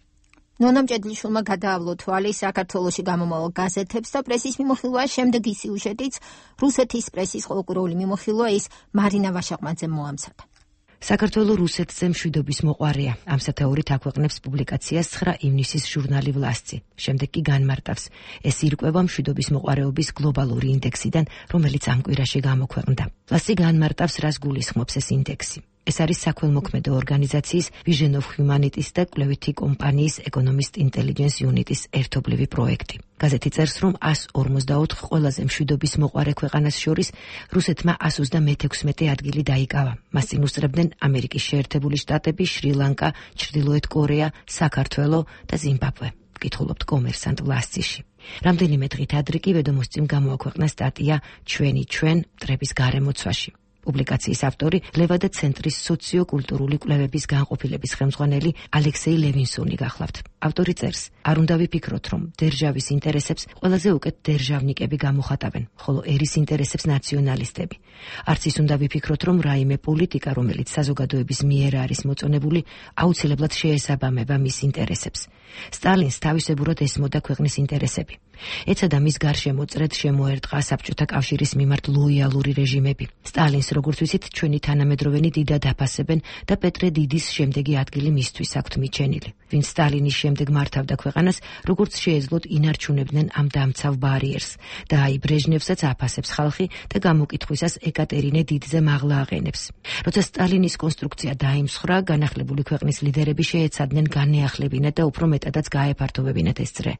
ნონა მჭედლიშვილმა გადაავლო თვალი საქართველოში გამომავალ გაზეთებს და პრესის მიმოხილვა შემდეგი სიუჟეტიც რუსეთის პრესის ყოველკვირეული მიმოხილვა ის მარინა ვაშაყმაძემ მოამცადა. საქართველო რუსეთზე მშვიდობის მოყვარეა. ამ სათაურით აქვეყნებს პუბლიკაციას ცხრა ივნისის ჟურნალი ვლასცი. შემდეგ კი განმარტავს, ეს ირკვევა მშვიდობის მოყვარეობის გლობალური ინდექსიდან, რომელიც ამ კვირაში გამოქვეყნდა. ვლასცი განმარტავს, რას გულისხმობს ეს ინდექსი. ეს არის საქველმოქმედო ორგანიზაციის Vision of Humanity და კვლევითი კომპანიის Economist Intelligence Unit-ის ერთობლივი პროექტი. გაზეთი წერს, რომ εκατს ორმოცდაოთხ ყველაზე მშვიდობის მოყვარე ქვეყანას შორის რუსეთმა εκατს ოცდამეექვსმეტე ადგილი დაიკავა. მას წინ უსწრებდნენ ამერიკის შეერთებული შტატები, შრი-ლანკა, ჩრდილოეთ კორეა, საქართველო და ზიმბაბვე. კითხულობთ კომერსანტ ვლასციში. რამდენიმე დღით ადრე კი ვედომოსტიმ გამოაქვეყნა სტატია ჩვენი ჩვენ მტრების გარემოცვაში. პუბლიკაციის ავტორი ლევადა ცენტრის სოციო-კულტურული კვლევების განყოფილების ხელმძღვანელი ალექსეი ლევინსონი გახლავთ. ავტორი წერს, არ უნდა ვიფიქროთ, რომ დერჟავის ინტერესებს ყველაზე უკეთ დერჟავნიკები გამოხატავენ, ხოლო ერის ინტერესებს ნაციონალისტები. არც ის უნდა ვიფიქროთ, რომ რაიმე პოლიტიკა, რომელიც საზოგადოების მიერ არის მოწონებული, აუცილებლად შეესაბამება მის ინტერესებს. სტალინს თავისებურად ესმოდა ქვეყნის ინტერესები. ეცადა მის გარშემო წრედ შემოერტყა საბჭოთა კავშირის მიმართ ლოიალური რეჟიმები. სტალინს, როგორც ვიცით, ჩვენი თანამედროვენი დიდად აფასებენ და პეტრე დიდის შემდეგი ადგილი მისთვის აქვთ მიჩენილი. ვინც სტალინის შემდეგ მართავდა ქვეყანას, როგორც შეეძლოთ ინარჩუნებდნენ ამ დამცავ ბარიერს და აი ბრეჟნევსაც აფასებს ხალხი და გამოკითხვისას ეკატერინე დიდზე მაღლა აყენებს. როცა სტალინის კონსტრუქცია დაიმსხრა, განახლებული ქვეყნის ლიდერები შეეცადნენ განეახლებინათ და უფრო მეტადაც გაეფართოვებინათ ეს წრე.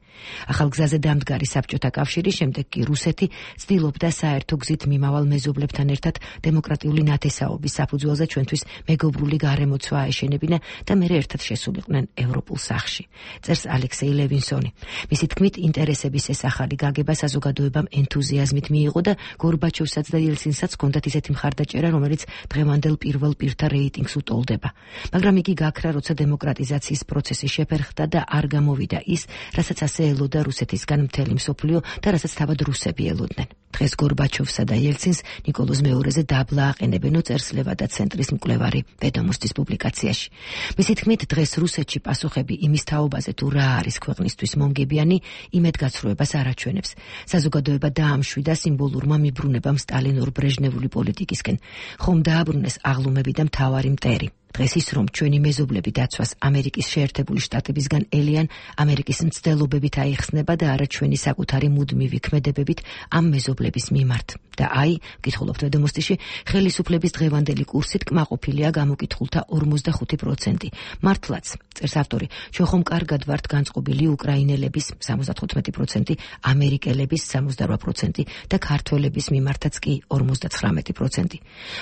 ახალ გზაზე დამდგარი საბჭოთა კავშირი, შემდეგ კი რუსეთი ცდილობდა საერთო გზით მიმავალ მეზობლებთან ერთად დემოკრატიული ნათესაობის საფუძველზე ჩვენთვის მეგობრული გარემოცვა აეშენებინა და მერე ერთად შესულიყვნენ ევროპულ სახში. წერს ალექსეი ლევინსონი. მისი თქმით, ინტერესების ეს ახალი გაგება საზოგადოებამ ენთუზიაზმით მიიღო და გორბაჩოვსაც და იელცინსაც ჰქონდათ ისეთი მხარდაჭერა, რომელიც დღევანდელ პირველ პირთა რეიტინგს უტოლდება. მაგრამ იგი გაქრა, როცა დემოკრატიზაციის პროცესი შეფერხდა და არ გამოვიდა ის, რასაც ასე ელოდა რუსეთისგან მთელი მსოფლიო და რასაც თავად რუსები ელოდნენ. დღეს გორბაჩოვსა და იელცინს ნიკოლოზ მეორეზე დაბლა აყენებენო, წერს ლევადა ცენტრის მკვლევარი ვედომოსტის პუბლიკაციაში. მისი თქმით, დღეს რუსეთში პასუხები იმის თაობაზე თუ რა არის ქვეყნისთვის მომგებიანი, იმედგაცრუებას არ აჩვენებს. საზოგადოება დაამშვიდა სიმბოლურმა მიბრუნებამ სტალინურ ბრეჟნევული პოლიტიკისკენ. ხომ დააბრუნეს აღლუმები და მთავარი მტერი. დღეს ის რომ ჩვენი მეზობლები დაცვას ამერიკის შეერთებული შტატებისგან ელიან, ამერიკის მცდელობებით აიხსნება და არა ჩვენი საკუთარი მუდმივი ქმედებებით ამ მეზობლების მიმართ. და აი, გითხულობთ ვედომოსტიში, ხელისუფლების დღევანდელი კურსით კმაყოფილია გამოკითხულთა ორმოცდახუთი პროცენტი. მართლაც, წერს ავტორი, ჩვენ ხომ კარგად ვართ განწყობილი უკრაინელების სამოცდათხუთმეტი პროცენტი, ამერიკელების სამოცდარვა პროცენტი და ქართველების მიმართაც კი ორმოცდაცხრამეტი პროცენტი.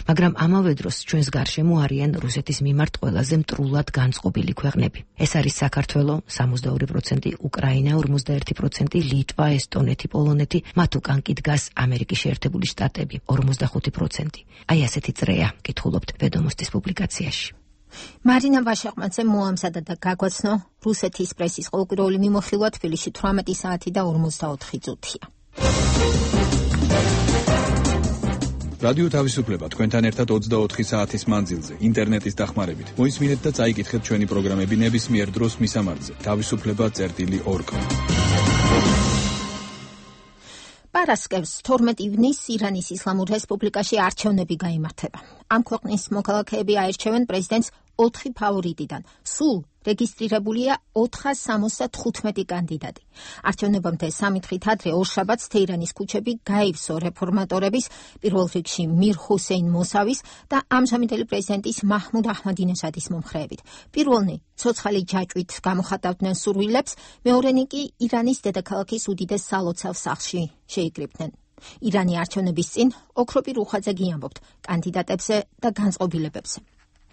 მაგრამ ამავე დროს ჩვენს გარშემო არიან რუსეთის მიმართ ყველაზე მტრულად განწყობილი ქვეყნები. ეს არის საქართველო სამოცდაორი პროცენტი, უკრაინა ორმოცდაერთი პროცენტი, ლიტვა, ესტონეთი, პოლონეთი, მათ უკან კი დგას ამერიკის შეერთებული შტატები ორმოცდახუთი პროცენტი. აი ასეთი წრეა, გითხულობთ ვედომოსტის პუბლიკაციაში. მარინა ვაშაყმაძე მოამზადა და გაგვაცნო რუსეთის პრესის ყოველკვირეული მიმოხილვა თბილისში თვრამეტი საათი და ორმოცდაოთხი წუთია. რადიო თავისუფლება თქვენთან ერთად ოცდაოთხი საათის მანძილზე, ინტერნეტის დახმარებით. მოისმინეთ და წაიკითხეთ ჩვენი პროგრამები ნებისმიერ დროს მისამართზე. თავისუფლება წერტილი ორკ. პარასკევს თორმეტი ივნისს ირანის ისლამურ რესპუბლიკაში არჩევნები გაიმართება. ამ ქვეყნის მოქალაქეები აირჩევენ პრეზიდენტს ოთხი ფავორიტიდან. სულ რეგისტრირებულია ოთხას სამოცდათხუთმეტი კანდიდატი. არჩევნებამდე სამი დღით ადრე ორშაბათს თეირანის ქუჩები გაივსო რეფორმატორების, პირველ რიგში მիր ჰუსეინ მოსავის და ამჟამინდელი პრეზიდენტის მაჰმუდ აჰმადინეჟადის მომხრეებით. პირველნი ცოცხალი ჯაჭვით გამოხატავდნენ სურვილებს, მეორენი კი ირანის დედაქალაქის უდიდეს სალოცავ სახლში შეიკრიბნენ. ირანი არჩევნების წინ ოქროპი რუხაძე გიამბობთ კანდიდატებზე და განწყობილებებზე.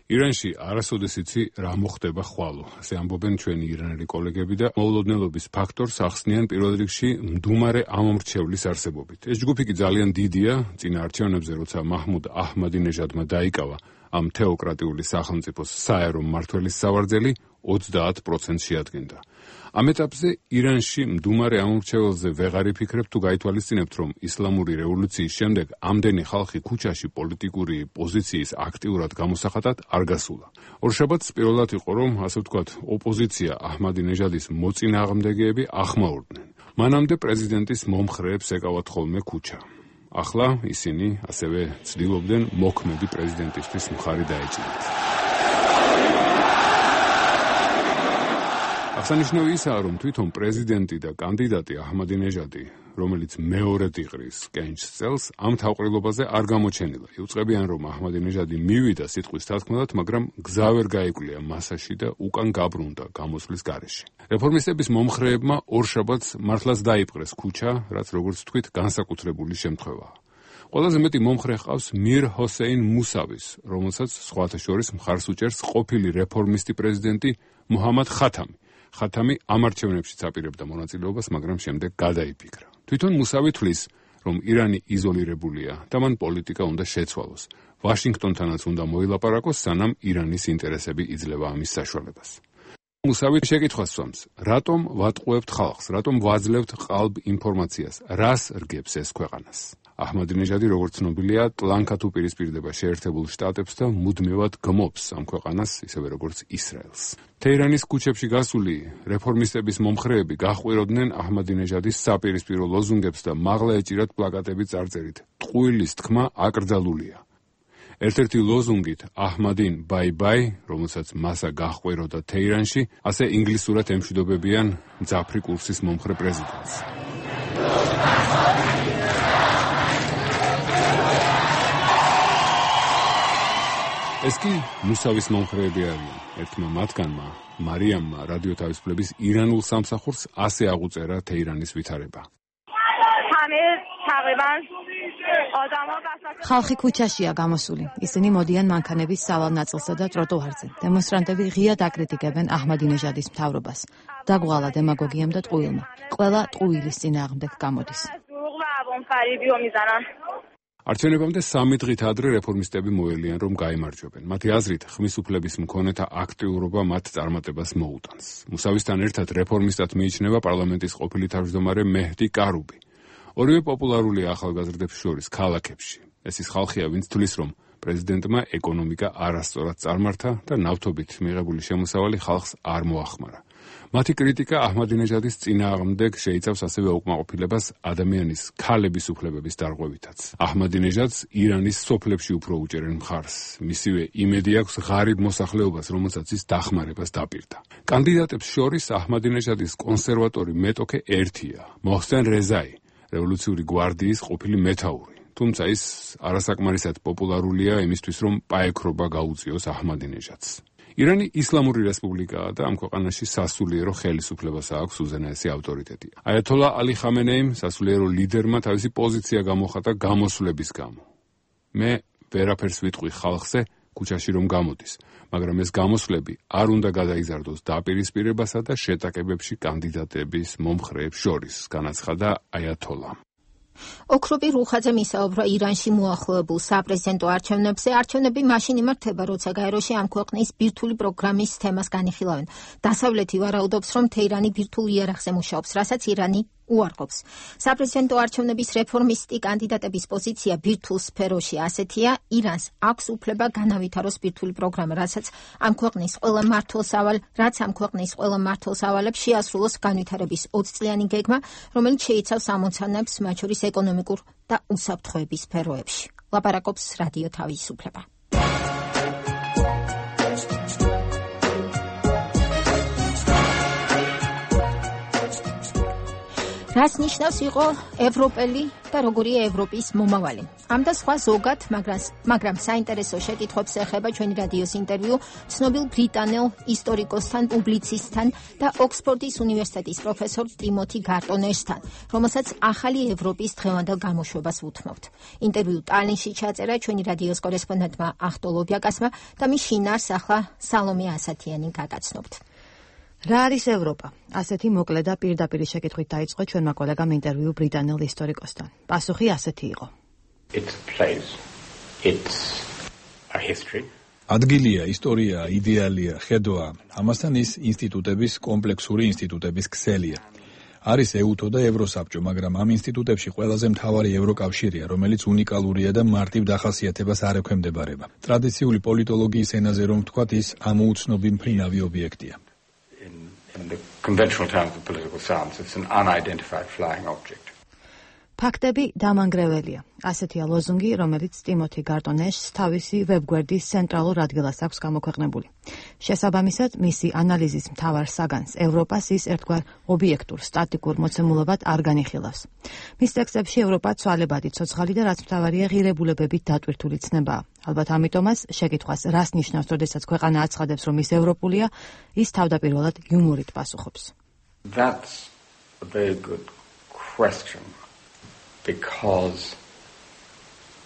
ირანში არასოდეს იცი რა მოხდება ხვალო. ასე ამბობენ ჩვენი ირანელი კოლეგები და მოულოდნელობის ფაქტორს ახსნიან პირველ რიგში მდუმარე ამომრჩევლის არსებობით. ეს ჯგუფი კი ძალიან დიდია, წინა არჩევნებზე როცა მაჰმუდ აჰმადინეჟადმა დაიკავა ამ თეოკრატიული სახელმწიფოს საერო მმართველის სავარძელი ოცდაათ პროცენტს შეადგენდა. ამ ეტაპზე ირანში მდუმარე ამომრჩეველზე ვეღარ იფიქრებ თუ გაითვალისწინებთ, რომ ისლამური რევოლუციის შემდეგ ამდენი ხალხი ქუჩაში პოლიტიკური პოზიციის აქტიურად გამოსახატად არ გასულა. ორშაბათს პირველად იყო, რომ ასე ვთქვათ, ოპოზიცია აჰმადინეჟადის მოწინააღმდეგეები ახმაურდნენ. მანამდე პრეზიდენტის მომხრეებს ეკავათ ხოლმე ქუჩა. ახლა ისინი ასევე ცდილობდნენ მოქმედი პრეზიდენტისთვის მხარი დაეჭირათ. აღსანიშნავი ისაა, რომ თვითონ პრეზიდენტი და კანდიდატი აჰმადინეჟადი, რომელიც მეორედ იყრის კენჭს წელს, ამ თავყრილობაზე არ გამოჩენილა. იუწყებიან, რომ აჰმადინეჟადი მივიდა სიტყვის თათქმელად, მაგრამ გზა ვერ გაიკვლია მასაში და უკან გაბრუნდა გამოსვლის გარეშე. რეფორმისტების მომხრეებმა ორშაბათს მართლაც დაიპყრეს ქუჩა, რაც როგორც ვთქვით, განსაკუთრებული შემთხვევაა. ყველაზე მეტი მომხრე ჰყავს მիր ჰუსეინ მუსავის, რომელსაც სხვათა შორის მხარს უჭერს ყოფილი რეფორმისტი პრეზიდენტი მუჰამად ხათამი. ხათამი ამ არჩევნებშიც აპირებდა მონაწილეობას, მაგრამ შემდეგ გადაიფიქრა. თვითონ მუსავი თვლის, რომ ირანი იზოლირებულია და მან პოლიტიკა უნდა შეცვალოს. ვაშინგტონთანაც უნდა მოილაპარაკოს, სანამ ირანის ინტერესები იძლევა ამის საშუალებას. მუსავი შეკითხვას სვამს, რატომ ვატყუებთ ხალხს, რატომ ვაძლევთ ყალბ ინფორმაციას, რას რგებს ეს ქვეყანას? აჰმადინეჟადი, როგორც ცნობილია, ტლანქად უპირისპირდება შეერთებულ შტატებს და მუდმივად გმობს ამ ქვეყანას, ისევე როგორც ისრაელს. თეირანის ქუჩებში გასული რეფორმისტების მომხრეები გაჰყვიროდნენ აჰმადინეჟადის საპირისპირო ლოზუნგებს და მაღლა ეჭირათ პლაკატები წარწერით „ტყუილის თქმა აკრძალულია“. ერთ-ერთი ლოზუნგით „აჰმადინ ბაი ბაი“, რომელსაც მასა გაჰყვიროდა თეირანში, ასე ინგლისურად ემშვიდობებიან მძაფრი კურსის მომხრე პრეზიდენტს. ეს კი მუსავის მომხრეები არიან. ერთმა მათგანმა, მარიამმა, რადიო თავისუფლების ირანულ სამსახურს ასე აღუწერა თეირანის ვითარება. ხალხი ქუჩაშია გამოსული. ისინი მოდიან მანქანების სავალ ნაწილსა და ტროტუარზე. დემონსტრანტები ღიად აკრიტიკებენ აჰმადინეჟადის მთავრობას. დაგვალა დემაგოგიამ და ტყუილმა. ყველა ტყუილის წინააღმდეგ გამოდის. არჩევნებამდე სამი დღით ადრე რეფორმისტები მოელიან, რომ გაიმარჯვებენ. მათი აზრით, ხმის უფლების მქონეთა აქტიურობა მათ წარმატებას მოუტანს. მუსავისთან ერთად რეფორმისტად მიიჩნევა პარლამენტის ყოფილი თავმჯდომარე მეჰდი კარუბი. ორივე პოპულარულია ახალგაზრდებს შორის ქალაქებში. ეს ის ხალხია, ვინც თვლის, რომ პრეზიდენტმა ეკონომიკა არასწორად წარმართა და ნავთობით მიღებული შემოსავალი ხალხს არ მოახმარა. მათი კრიტიკა აჰმადინეჟადის წინააღმდეგ შეიცავს ასევე უკმაყოფილებას ადამიანის ქალების უფლებების დარღვევითაც. აჰმადინეჟადს ირანის სოფლებში უფრო უჭერენ მხარს. მისივე იმედი აქვს ღარიბ მოსახლეობას, რომელსაც ის დახმარებას დაპირდა. კანდიდატებს შორის აჰმადინეჟადის კონსერვატორი მეტოქე ერთია, მოჰსენ რეზაი, რევოლუციური გვარდიის ყოფილი მეთაური. თუმცა ის არასაკმარისად პოპულარულია იმისთვის, რომ პაექრობა გაუწიოს აჰმადინეჟადს. ირანი ისლამური რესპუბლიკაა და ამ ქვეყანაში სასულიერო ხელისუფლებას აქვს უზენაესი ავტორიტეტი. აიათოლა ალი ხამენეიმ სასულიერო ლიდერმა თავისი პოზიცია გამოხატა გამოსვლების გამო. მე ვერაფერს ვიტყვი ხალხზე ქუჩაში რომ გამოდის, მაგრამ ეს გამოსვლები არ უნდა გადაიზარდოს დაპირისპირებასა და შეტაკებებში კანდიდატების მომხრეებს შორის, განაცხადა აიათოლამ. ოქროპი რუხაძემ ისაუბრა ირანში მოახლოებულ საპრეზიდენტო არჩევნებზე. არჩევნები მაშინ იმართება, როცა გაეროში ამ ქვეყნის ბირთვული პროგრამის თემას განიხილავენ. დასავლეთი ვარაუდობს, რომ თეირანი ბირთვულ იარაღზე მუშაობს, რასაც ირანი უარყოფს. საპრეზიდენტო არჩევნების რეფორმისტი კანდიდატების პოზიცია ბირთვულ სფეროში ასეთია: ირანს აქვს უფლება განავითაროს ბირთვული პროგრამა, რასაც ამ ქვეყნის ყველა მმართველს ავალ, რაც ამ ქვეყნის ყველა მმართველს ავალებს შეასრულოს განვითარების ოცწლიანი გეგმა, რომელიც შეიცავს ამოცანებს მათ შორის ეკონომიკურ და უსაფრთხოების სფეროებში. ლაპარაკობს რადიო თავისუფლება. რას ნიშნავს იყო ევროპელი და როგორია ევროპის მომავალი? ამ და სხვა ზოგად, მაგრამ საინტერესო შეკითხვებს ეხება ჩვენი რადიოს ინტერვიუ ცნობილ ბრიტანელ ისტორიკოსთან, პუბლიცისტთან და ოქსფორდის უნივერსიტეტის პროფესორ ტიმოთი გარტონერსთან, რომელსაც ახალი ევროპის დღევანდელ გამოშვებას უთმობთ. ინტერვიუ ტალინში ჩაწერა ჩვენი რადიოს კორესპონდენტმა ახტო ლობიაკასმა და მის შინაარს ახლა სალომე ასათიანი გაგაცნობთ. რა არის ევროპა? ასეთი მოკლე და პირდაპირი შეკითხვით დაიწყო ჩვენმა კოლეგამ ინტერვიუ ბრიტანელ ისტორიკოსთან. პასუხი ასეთი იყო. It's a place. It's a history. ადგილია, ისტორია, იდეალია, ხედვა. ამასთან ის ინსტიტუტების, კომპლექსური ინსტიტუტების ქსელია. არის ეუთო და ევროსაბჭო, მაგრამ ამ ინსტიტუტებში ყველაზე მთავარი ევროკავშირია, რომელიც უნიკალურია და მარტივ დახასიათებას არ ექვემდებარება. ტრადიციული პოლიტოლოგიის ენაზე რომ ვთქვათ, ის ამოუცნობი მფრინავი ობიექტია. In the conventional terms of political science, it's an unidentified flying object. ფაქტები დამანგრეველია. ასეთია ლოზუნგი, რომელიც ტიმოთი გარტონეშს თავისი ვებგვერდის ცენტრალურ ადგილას აქვს გამოქვეყნებული. შესაბამისად, მისი ანალიზის მთავარ საგანს ევროპას ის ერთგვარ ობიექტურ, სტატიკურ მოცემულობად არ განიხილავს. მის ტექსტებში ევროპა ცვალებადი, ცოცხალი და რაც მთავარია ღირებულებებით დატვირთული ცნებაა. ალბათ ამიტომაც შეკითხვას რას ნიშნავს, როდესაც ქვეყანა აცხადებს, რომ ის ევროპულია, ის თავდაპირველად იუმორით პასუხობს. That's a very good question. Because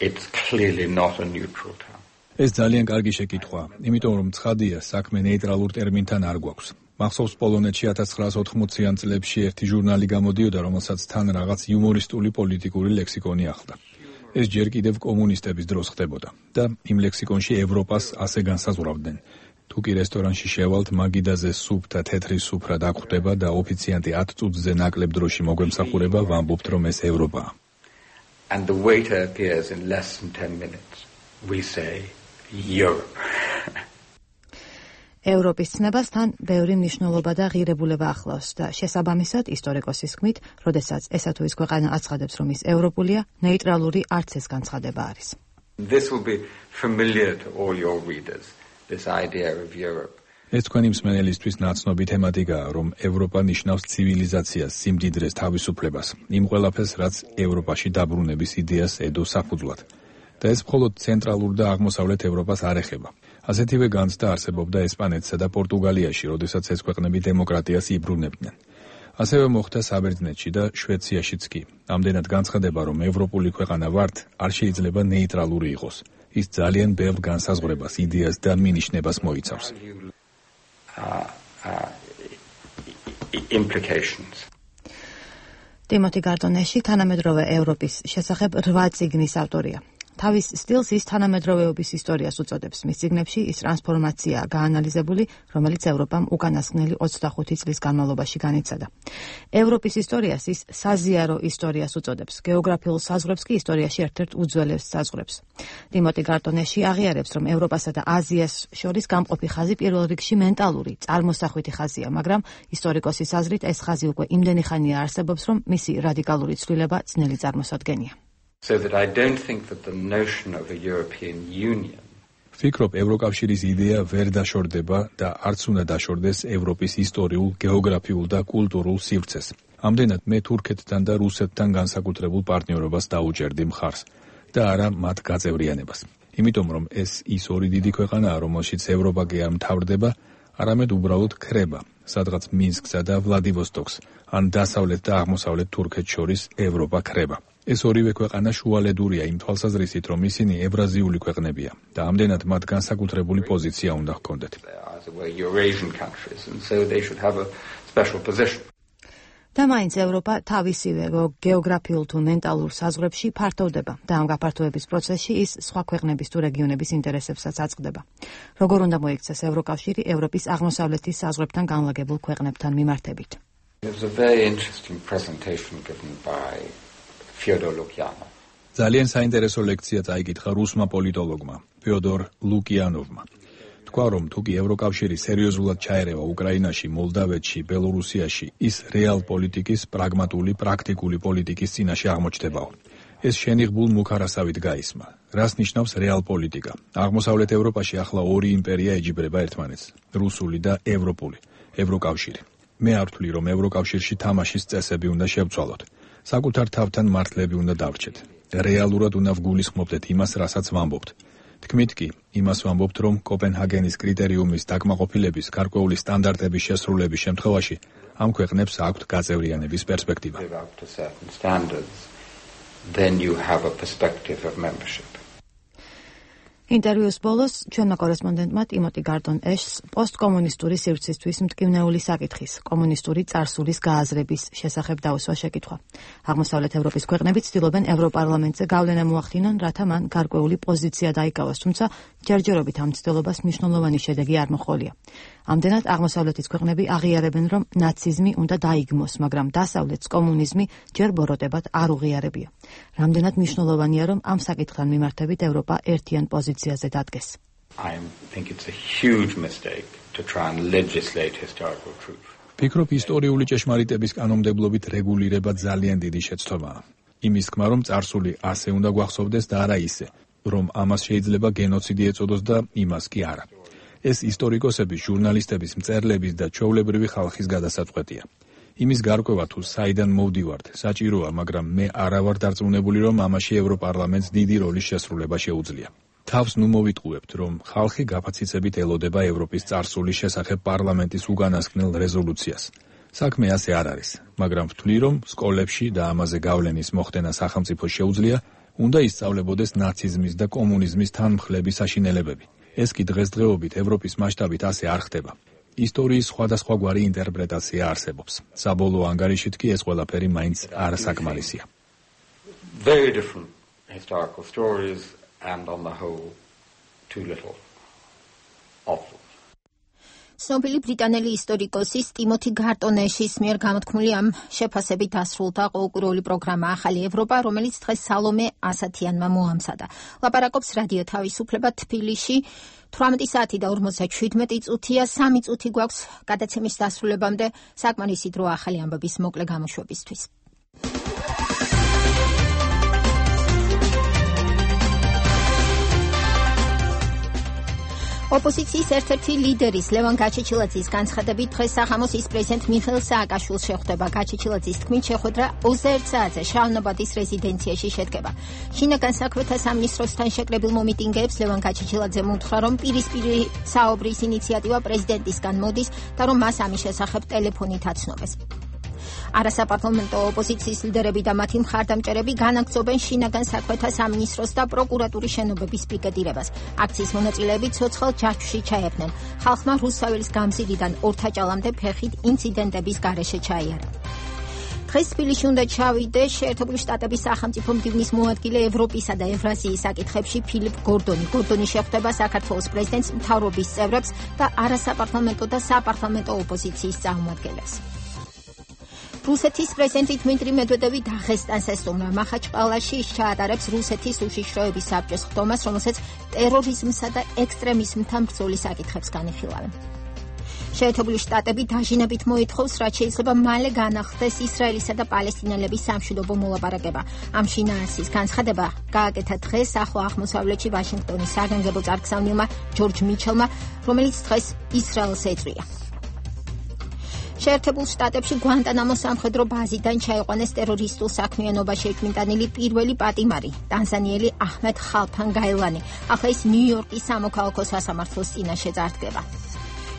it's clearly not a neutral term. ეს ძალიან კარგი შეკითხვაა, იმიტომ რომ ცხადია, საქმე ნეიტრალურ ტერმინთან არ გვაქვს. მახსოვს პოლონეთში ათას ცხრაას ოთხმოციან წლებში ერთი ჟურნალი გამოდიოდა, რომელსაც თან რაღაც იუმორისტული პოლიტიკური ლექსიკონი ახლდა. ეს ჯერ კიდევ კომუნისტების დროს ხდებოდა და იმ ლექსიკონში ევროპას ასე განსაზღვრავდნენ. თუ კი რესტორანში შევალთ, მაგიდაზე სუპ და თეთრი სუფრა დაგხვდება და ოფიციანტი ათ წუთზე ნაკლებ დროში მოგვემსახურება, ვამბობთ, რომ ეს ევროპაა. And the waiter appears in less than ten minutes. We say Europe. ევროპის ცნებასთან ბევრი მნიშვნელობა და ღირებულება ახლავს და შესაბამისად ისტორიკოსის თქმით, როდესაც ესა თუ ის ქვეყანა აცხადებს, რომ ის ევროპულია, ნეიტრალური არც ეს განცხადება არის. This will be familiar to all your readers, this idea of Europe. ეს თქვენი მსმენელისთვის ნაცნობი თემატიკაა, რომ ევროპა ნიშნავს ცივილიზაციას, სიმდიდრეს, თავისუფლებას, იმ ყველაფერს, რაც ევროპაში დაბრუნების იდეას ედო საფუძვლად. და ეს მხოლოდ ცენტრალურ და აღმოსავლეთ ევროპას არ ეხება. ასეთივე განცდა არსებობდა ესპანეთსა და პორტუგალიაში, როდესაც ეს ქვეყნები დემოკრატიას იბრუნებდნენ. ასევე მოხდა საბერძნეთში და შვეციაშიც კი. ამდენად განცხადება, რომ ევროპული ქვეყანა ვართ, არ შეიძლება ნეიტრალური იყოს. ის ძალიან ბევრ განსაზღვრებას, იდეას და მინიშნებას მოიცავს. Uh, uh, implications. ტიმოთი გარტონეში თანამედროვე ევროპის შესახებ რვა წიგნის ავტორია. თავის სტილს ის თანამედროვეობის ისტორიას უწოდებს. მის წიგნებში ის ტრანსფორმაციაა გაანალიზებული, რომელიც ევროპამ უკანასკნელი ოცდახუთი წლის განმავლობაში განიცადა. ევროპის ისტორიას ის საზიარო ისტორიას უწოდებს. გეოგრაფიულ საზღვრებს კი ისტორიაში ერთ-ერთ უძველეს საზღვრებს. ტიმოტი გარტონეში აღიარებს, რომ ევროპასა და აზიას შორის გამყოფი ხაზი პირველ რიგში მენტალური, წარმოსახვითი ხაზია, მაგრამ ისტორიკოსის აზრით ეს ხაზი უკვე იმდენი ხანია არსებობს, რომ მისი რადიკალური ცვლილება ძნელი წარმოსადგენია. So that I don't think that the notion of a European Union ვფიქრობ, ევროკავშირის იდეა ვერ დაშორდება და არც უნდა დაშორდეს ევროპის ისტორიულ, გეოგრაფიულ და კულტურულ სივრცეს. ამდენად მე თურქეთთან და რუსეთთან განსაკუთრებულ პარტნიორობას დაუჭერდი მხარს და არა მათ გაწევრიანებას. იმიტომ რომ ეს ის ორი დიდი ქვეყანაა, რომელშიც ევროპა კი არ მთავრდება, არამედ უბრალოდ ქრება, სადღაც მინსკსა და ვლადივოსტოკს, ან დასავლეთ და აღმოსავლეთ თურქეთს შორის ევროპა ქრება. ეს ორივე ქვეყანა შუალედურია იმ თვალსაზრისით, რომ ისინი ევრაზიული ქვეყნებია და ამდენად მათ განსაკუთრებული პოზიცია უნდა ჰქონდეთ. და მაინც ევროპა თავისივე გეოგრაფიულ თუ მენტალურ საზღვრებში ფართოვდება და ამ გაფართოების პროცესში ის სხვა ქვეყნების თუ რეგიონების ინტერესებსაც აწყდება. როგორ უნდა მოიქცეს ევროკავშირი ევროპის აღმოსავლეთის საზღვრებთან განლაგებულ ქვეყნებთან მიმართებით? ძალიან საინტერესო ლექცია წაიკითხა რუსმა პოლიტოლოგმა ფიოდორ ლუკიანოვმა. თქვა, რომ თუ კი ევროკავშირი სერიოზულად ჩაერევა უკრაინაში, მოლდავეთში, ბელორუსიაში, ის რეალ პოლიტიკის, პრაგმატული, პრაქტიკული პოლიტიკის წინაშე აღმოჩნდებაო. ეს შენიღბულ მუქარასავით გაისმა. რას ნიშნავს რეალ პოლიტიკა? აღმოსავლეთ ევროპაში ახლა ორი იმპერია ეჯიბრება ერთმანეთს, რუსული და ევროპული, ევროკავშირი. მე არ ვთვლი, რომ ევროკავშირში თამაშის წესები უნდა შევცვალოთ. საკუთარ თავთან მართლები უნდა დავრჩეთ. რეალურად უნდა ვგულისხმობდეთ იმას, რასაც ვამბობთ. თქმით კი, იმას ვამბობთ, რომ კოპენჰაგენის კრიტერიუმის დაკმაყოფილების გარკვეული სტანდარტების შესრულების შემთხვევაში ამ ქვეყნებს აქვთ გაწევრიანების პერსპექტივა. Then you have a perspective of membership. ინტერვიუს ბოლოს ჩვენმა კორესპონდენტმა ტიმოტი გარტონ ეშს პოსტკომუნისტური სივრცისთვის მტკივნეული საკითხის, კომუნისტური წარსულის გააზრების შესახებ დაუსვა შეკითხვა. აღმოსავლეთ ევროპის ქვეყნები ცდილობენ ევროპარლამენტზე გავლენა მოახდინონ, რათა მან გარკვეული პოზიცია დაიკავოს, თუმცა ჯერჯერობით ამ ცდილობას მნიშვნელოვანი შედეგი არ მოჰყოლია. ამდენად აღმოსავლეთის ქვეყნები აღიარებენ, რომ ნაციზმი უნდა დაიგმოს, მაგრამ დასავლეთს კომუნიზმი ჯერ ბოროტებად არ უღიარებია. რამდენად მნიშვნელოვანია, რომ ამ საკითხთან მიმართებით ევროპა ერთიან პოზიციაზე დადგეს. I think it's a huge mistake to try and legislate historical truth. ფიქრობ, ისტორიული ჭეშმარიტების კანონმდებლობით რეგულირება ძალიან დიდი შეცდომაა. იმის თქმა, რომ წარსული ასე უნდა გვახსოვდეს და არა ისე, რომ ამას შეიძლება გენოციდი ეწოდოს და იმას კი არა. ეს ისტორიკოსების, ჟურნალისტების, მწერლების და ჩვეულებრივი ხალხის გადასაწყვეტია. იმის გარკვევა თუ საიდან მოვდივართ, საჭიროა, მაგრამ მე არა ვარ დარწმუნებული, რომ ამაში ევროპარლამენტს დიდი როლის შესრულება შეუძლია. თავს ნუ მოვიტყუებთ, რომ ხალხი გაფაციცებით ელოდება ევროპის წარსულის შესახებ პარლამენტის უკანასკნელ რეზოლუციას. საქმე ასე არ არის, მაგრამ ვთვლი, რომ სკოლებში და ამაზე გავლენის მოხდენა სახელმწიფოს შეუძლია, უნდა ისწავლებოდეს ნაციზმის და კომუნიზმის თანმხლების საშინელებები. ეს კი დღესდღეობით ევროპის მასშტაბით ასე არ ხდება. ისტორიის სხვადასხვაგვარი ინტერპრეტაცია არსებობს. საბოლოო ანგარიშით კი ეს ყველაფერი მაინც არ საკმარისია. Very different historical stories and on the whole too little of them. ცნობილი ბრიტანელი ისტორიკოსის ტიმოთი გარტონეშის მიერ გამოთქმული ამ შეფასებით დასრულდა ყოველკვირეული პროგრამა ახალი ევროპა, რომელიც დღეს სალომე ასათიანმა მოამზადა. ლაპარაკობს რადიო თავისუფლება თბილისში. თვრამეტი საათი და ორმოცდაშვიდმეტი წუთია, სამი წუთი გვაქვს გადაცემის დასრულებამდე, საკმარისი დრო ახალი ამბების მოკლე გამოშვებისთვის. ოპოზიციის ერთ-ერთი ლიდერის ლევან გაჩეჩილაძის განცხადებით დღეს სახამოს პრეზიდენტ მიხეილ სააკაშვილს შეხვდება. გაჩეჩილაძის თქმით, შეხვედრა ოცდაერთ საათზე შავნაბადის რეზიდენციაში შედგება. შინაგან საქმეთა სამინისტროსთან შეკრებილ მომიტინგეებს ლევან გაჩეჩილაძემ უთხრა, რომ პირისპირი საუბრის ინიციატივა პრეზიდენტისგან მოდის და რომ მას ამის შესახებ ტელეფონით აცნობეს. არასაპარლამენტო ოპოზიციის ლიდერები და მათი მხარდამჭერები განაგრძობენ შინაგან საქმეთა სამინისტროს და პროკურატურის შენობების პიკეტირებას. აქციის მონაწილეები ცოცხალ ჯაჭვში ჩაებდნენ. ხალხმა რუსთაველის გამზირიდან ორთაჭალამდე ფეხით ინციდენტების გარეშე ჩაიარა. დღეს თბილისში უნდა ჩავიდე შეერთებული შტატების სახელმწიფო მდივნის მოადგილე ევროპისა და ევრაზიის საკითხებში ფილიპ გორდონი. გორდონი შეხვდება საქართველოს პრეზიდენტს, მთავრობის წევრებს და არასაპარლამენტო და საპარლამენტო ოპოზიციის წარმომადგენლებს. რუსეთის პრეზიდენტი დმიტრი მედვედევი დაღესტანს ესტუმრა. მახაჩყალაში ის ჩაატარებს რუსეთის უშიშროების საბჭოს ხდომას, რომელსაც ტერორიზმსა და ექსტრემიზმთან ბრძოლის საკითხებს განიხილავენ. შეერთებული შტატები დაჟინებით მოითხოვს, რაც შეიძლება მალე განახდეს ისრაელისა და პალესტინელების სამშვიდობო მოლაპარაკება. ამ შინაარსის განცხადება გააკეთა დღეს ახლო აღმოსავლეთში ვაშინგტონის საგანგებო წარგზავნილმა ჯორჯ მიჩელმა, რომელიც დღეს ისრაელს ეწვია. შეერთებულ შტატებში გვანტანამოს სამხედრო ბაზიდან ჩაიყვანეს ტერორისტულ საქმიანობაში ეჭვმიტანილი პირველი პატიმარი, ტანზანიელი აჰმედ ხალფან გაილანი. ახლა ის ნიუ-იორკის სამოქალაქო სასამართლოს წინაშე წარდგება.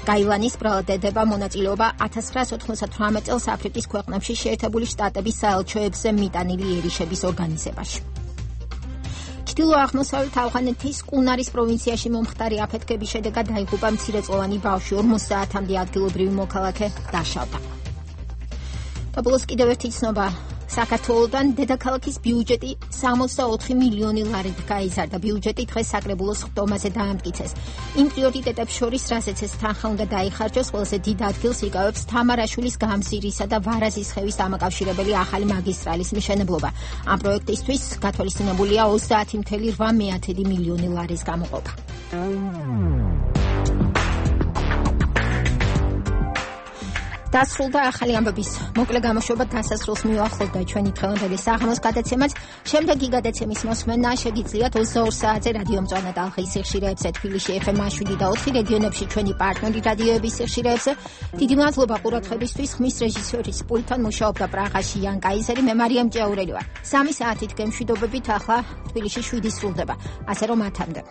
გაილანის ბრალდება მონაწილეობა ათას ცხრაასი ოთხმოცდათვრამეტ წელს აფრიკის ქვეყნებში შეერთებული შტატების საელჩოებზე მიტანილი ერიშების ორგანიზებაში. ჩრდილო-აღმოსავლეთ ავღანეთის კუნარის პროვინციაში მომხდარი აფეთქების შედეგად დაიღუპა მცირეწლოვანი ბავშვი, ორმოცი საათამდე ადგილობრივი მოქალაქე დაშავდა. და ბოლოს კიდევ ერთი ცნობა. საქართველოდან დედაქალაქის ბიუჯეტი სამოცდაოთხი მილიონი ლარით გაიზარდა. ბიუჯეტი დღეს საკრებულოს ხდომაზე დაამტკიცეს. იმ პრიორიტეტებს შორის, რასაც ეს თანხა უნდა დაიხარჯოს, ყველაზე დიდ ადგილს იკავებს თამარაშვილის გამზირისა და ვარაზის ხევის დამაკავშირებელი ახალი მაგისტრალის მშენებლობა. ამ პროექტისთვის გათვალისწინებულია ოცდაათი მცდარი მილიონი ლარის გამოყოფა. დასრულდა ახალი ამბების მოკლე გამოშვება, დასასრულს მივახლოვდა ჩვენი დღევანდელი საღამოს გადაცემაც. შემდეგი გადაცემის მოსმენა შეგიძლიათ ოცდაორ საათზე რადიო მწვანე ტალღის სიხშირეებზე, თბილისში ეფ ემ შვიდი და ოთხი, რეგიონებში ჩვენი პარტნიორი რადიოების სიხშირეებზე. დიდი მადლობა ყურადღებისთვის. ხმის რეჟისორის პულტთან მუშაობდა პრაღაში იან კაიზერი, მე მარიამ ჭეურელი ვარ. სამი საათით გემშვიდობებით, ახლა თბილისში შვიდი სრულდება. ასე რომ ათამდე.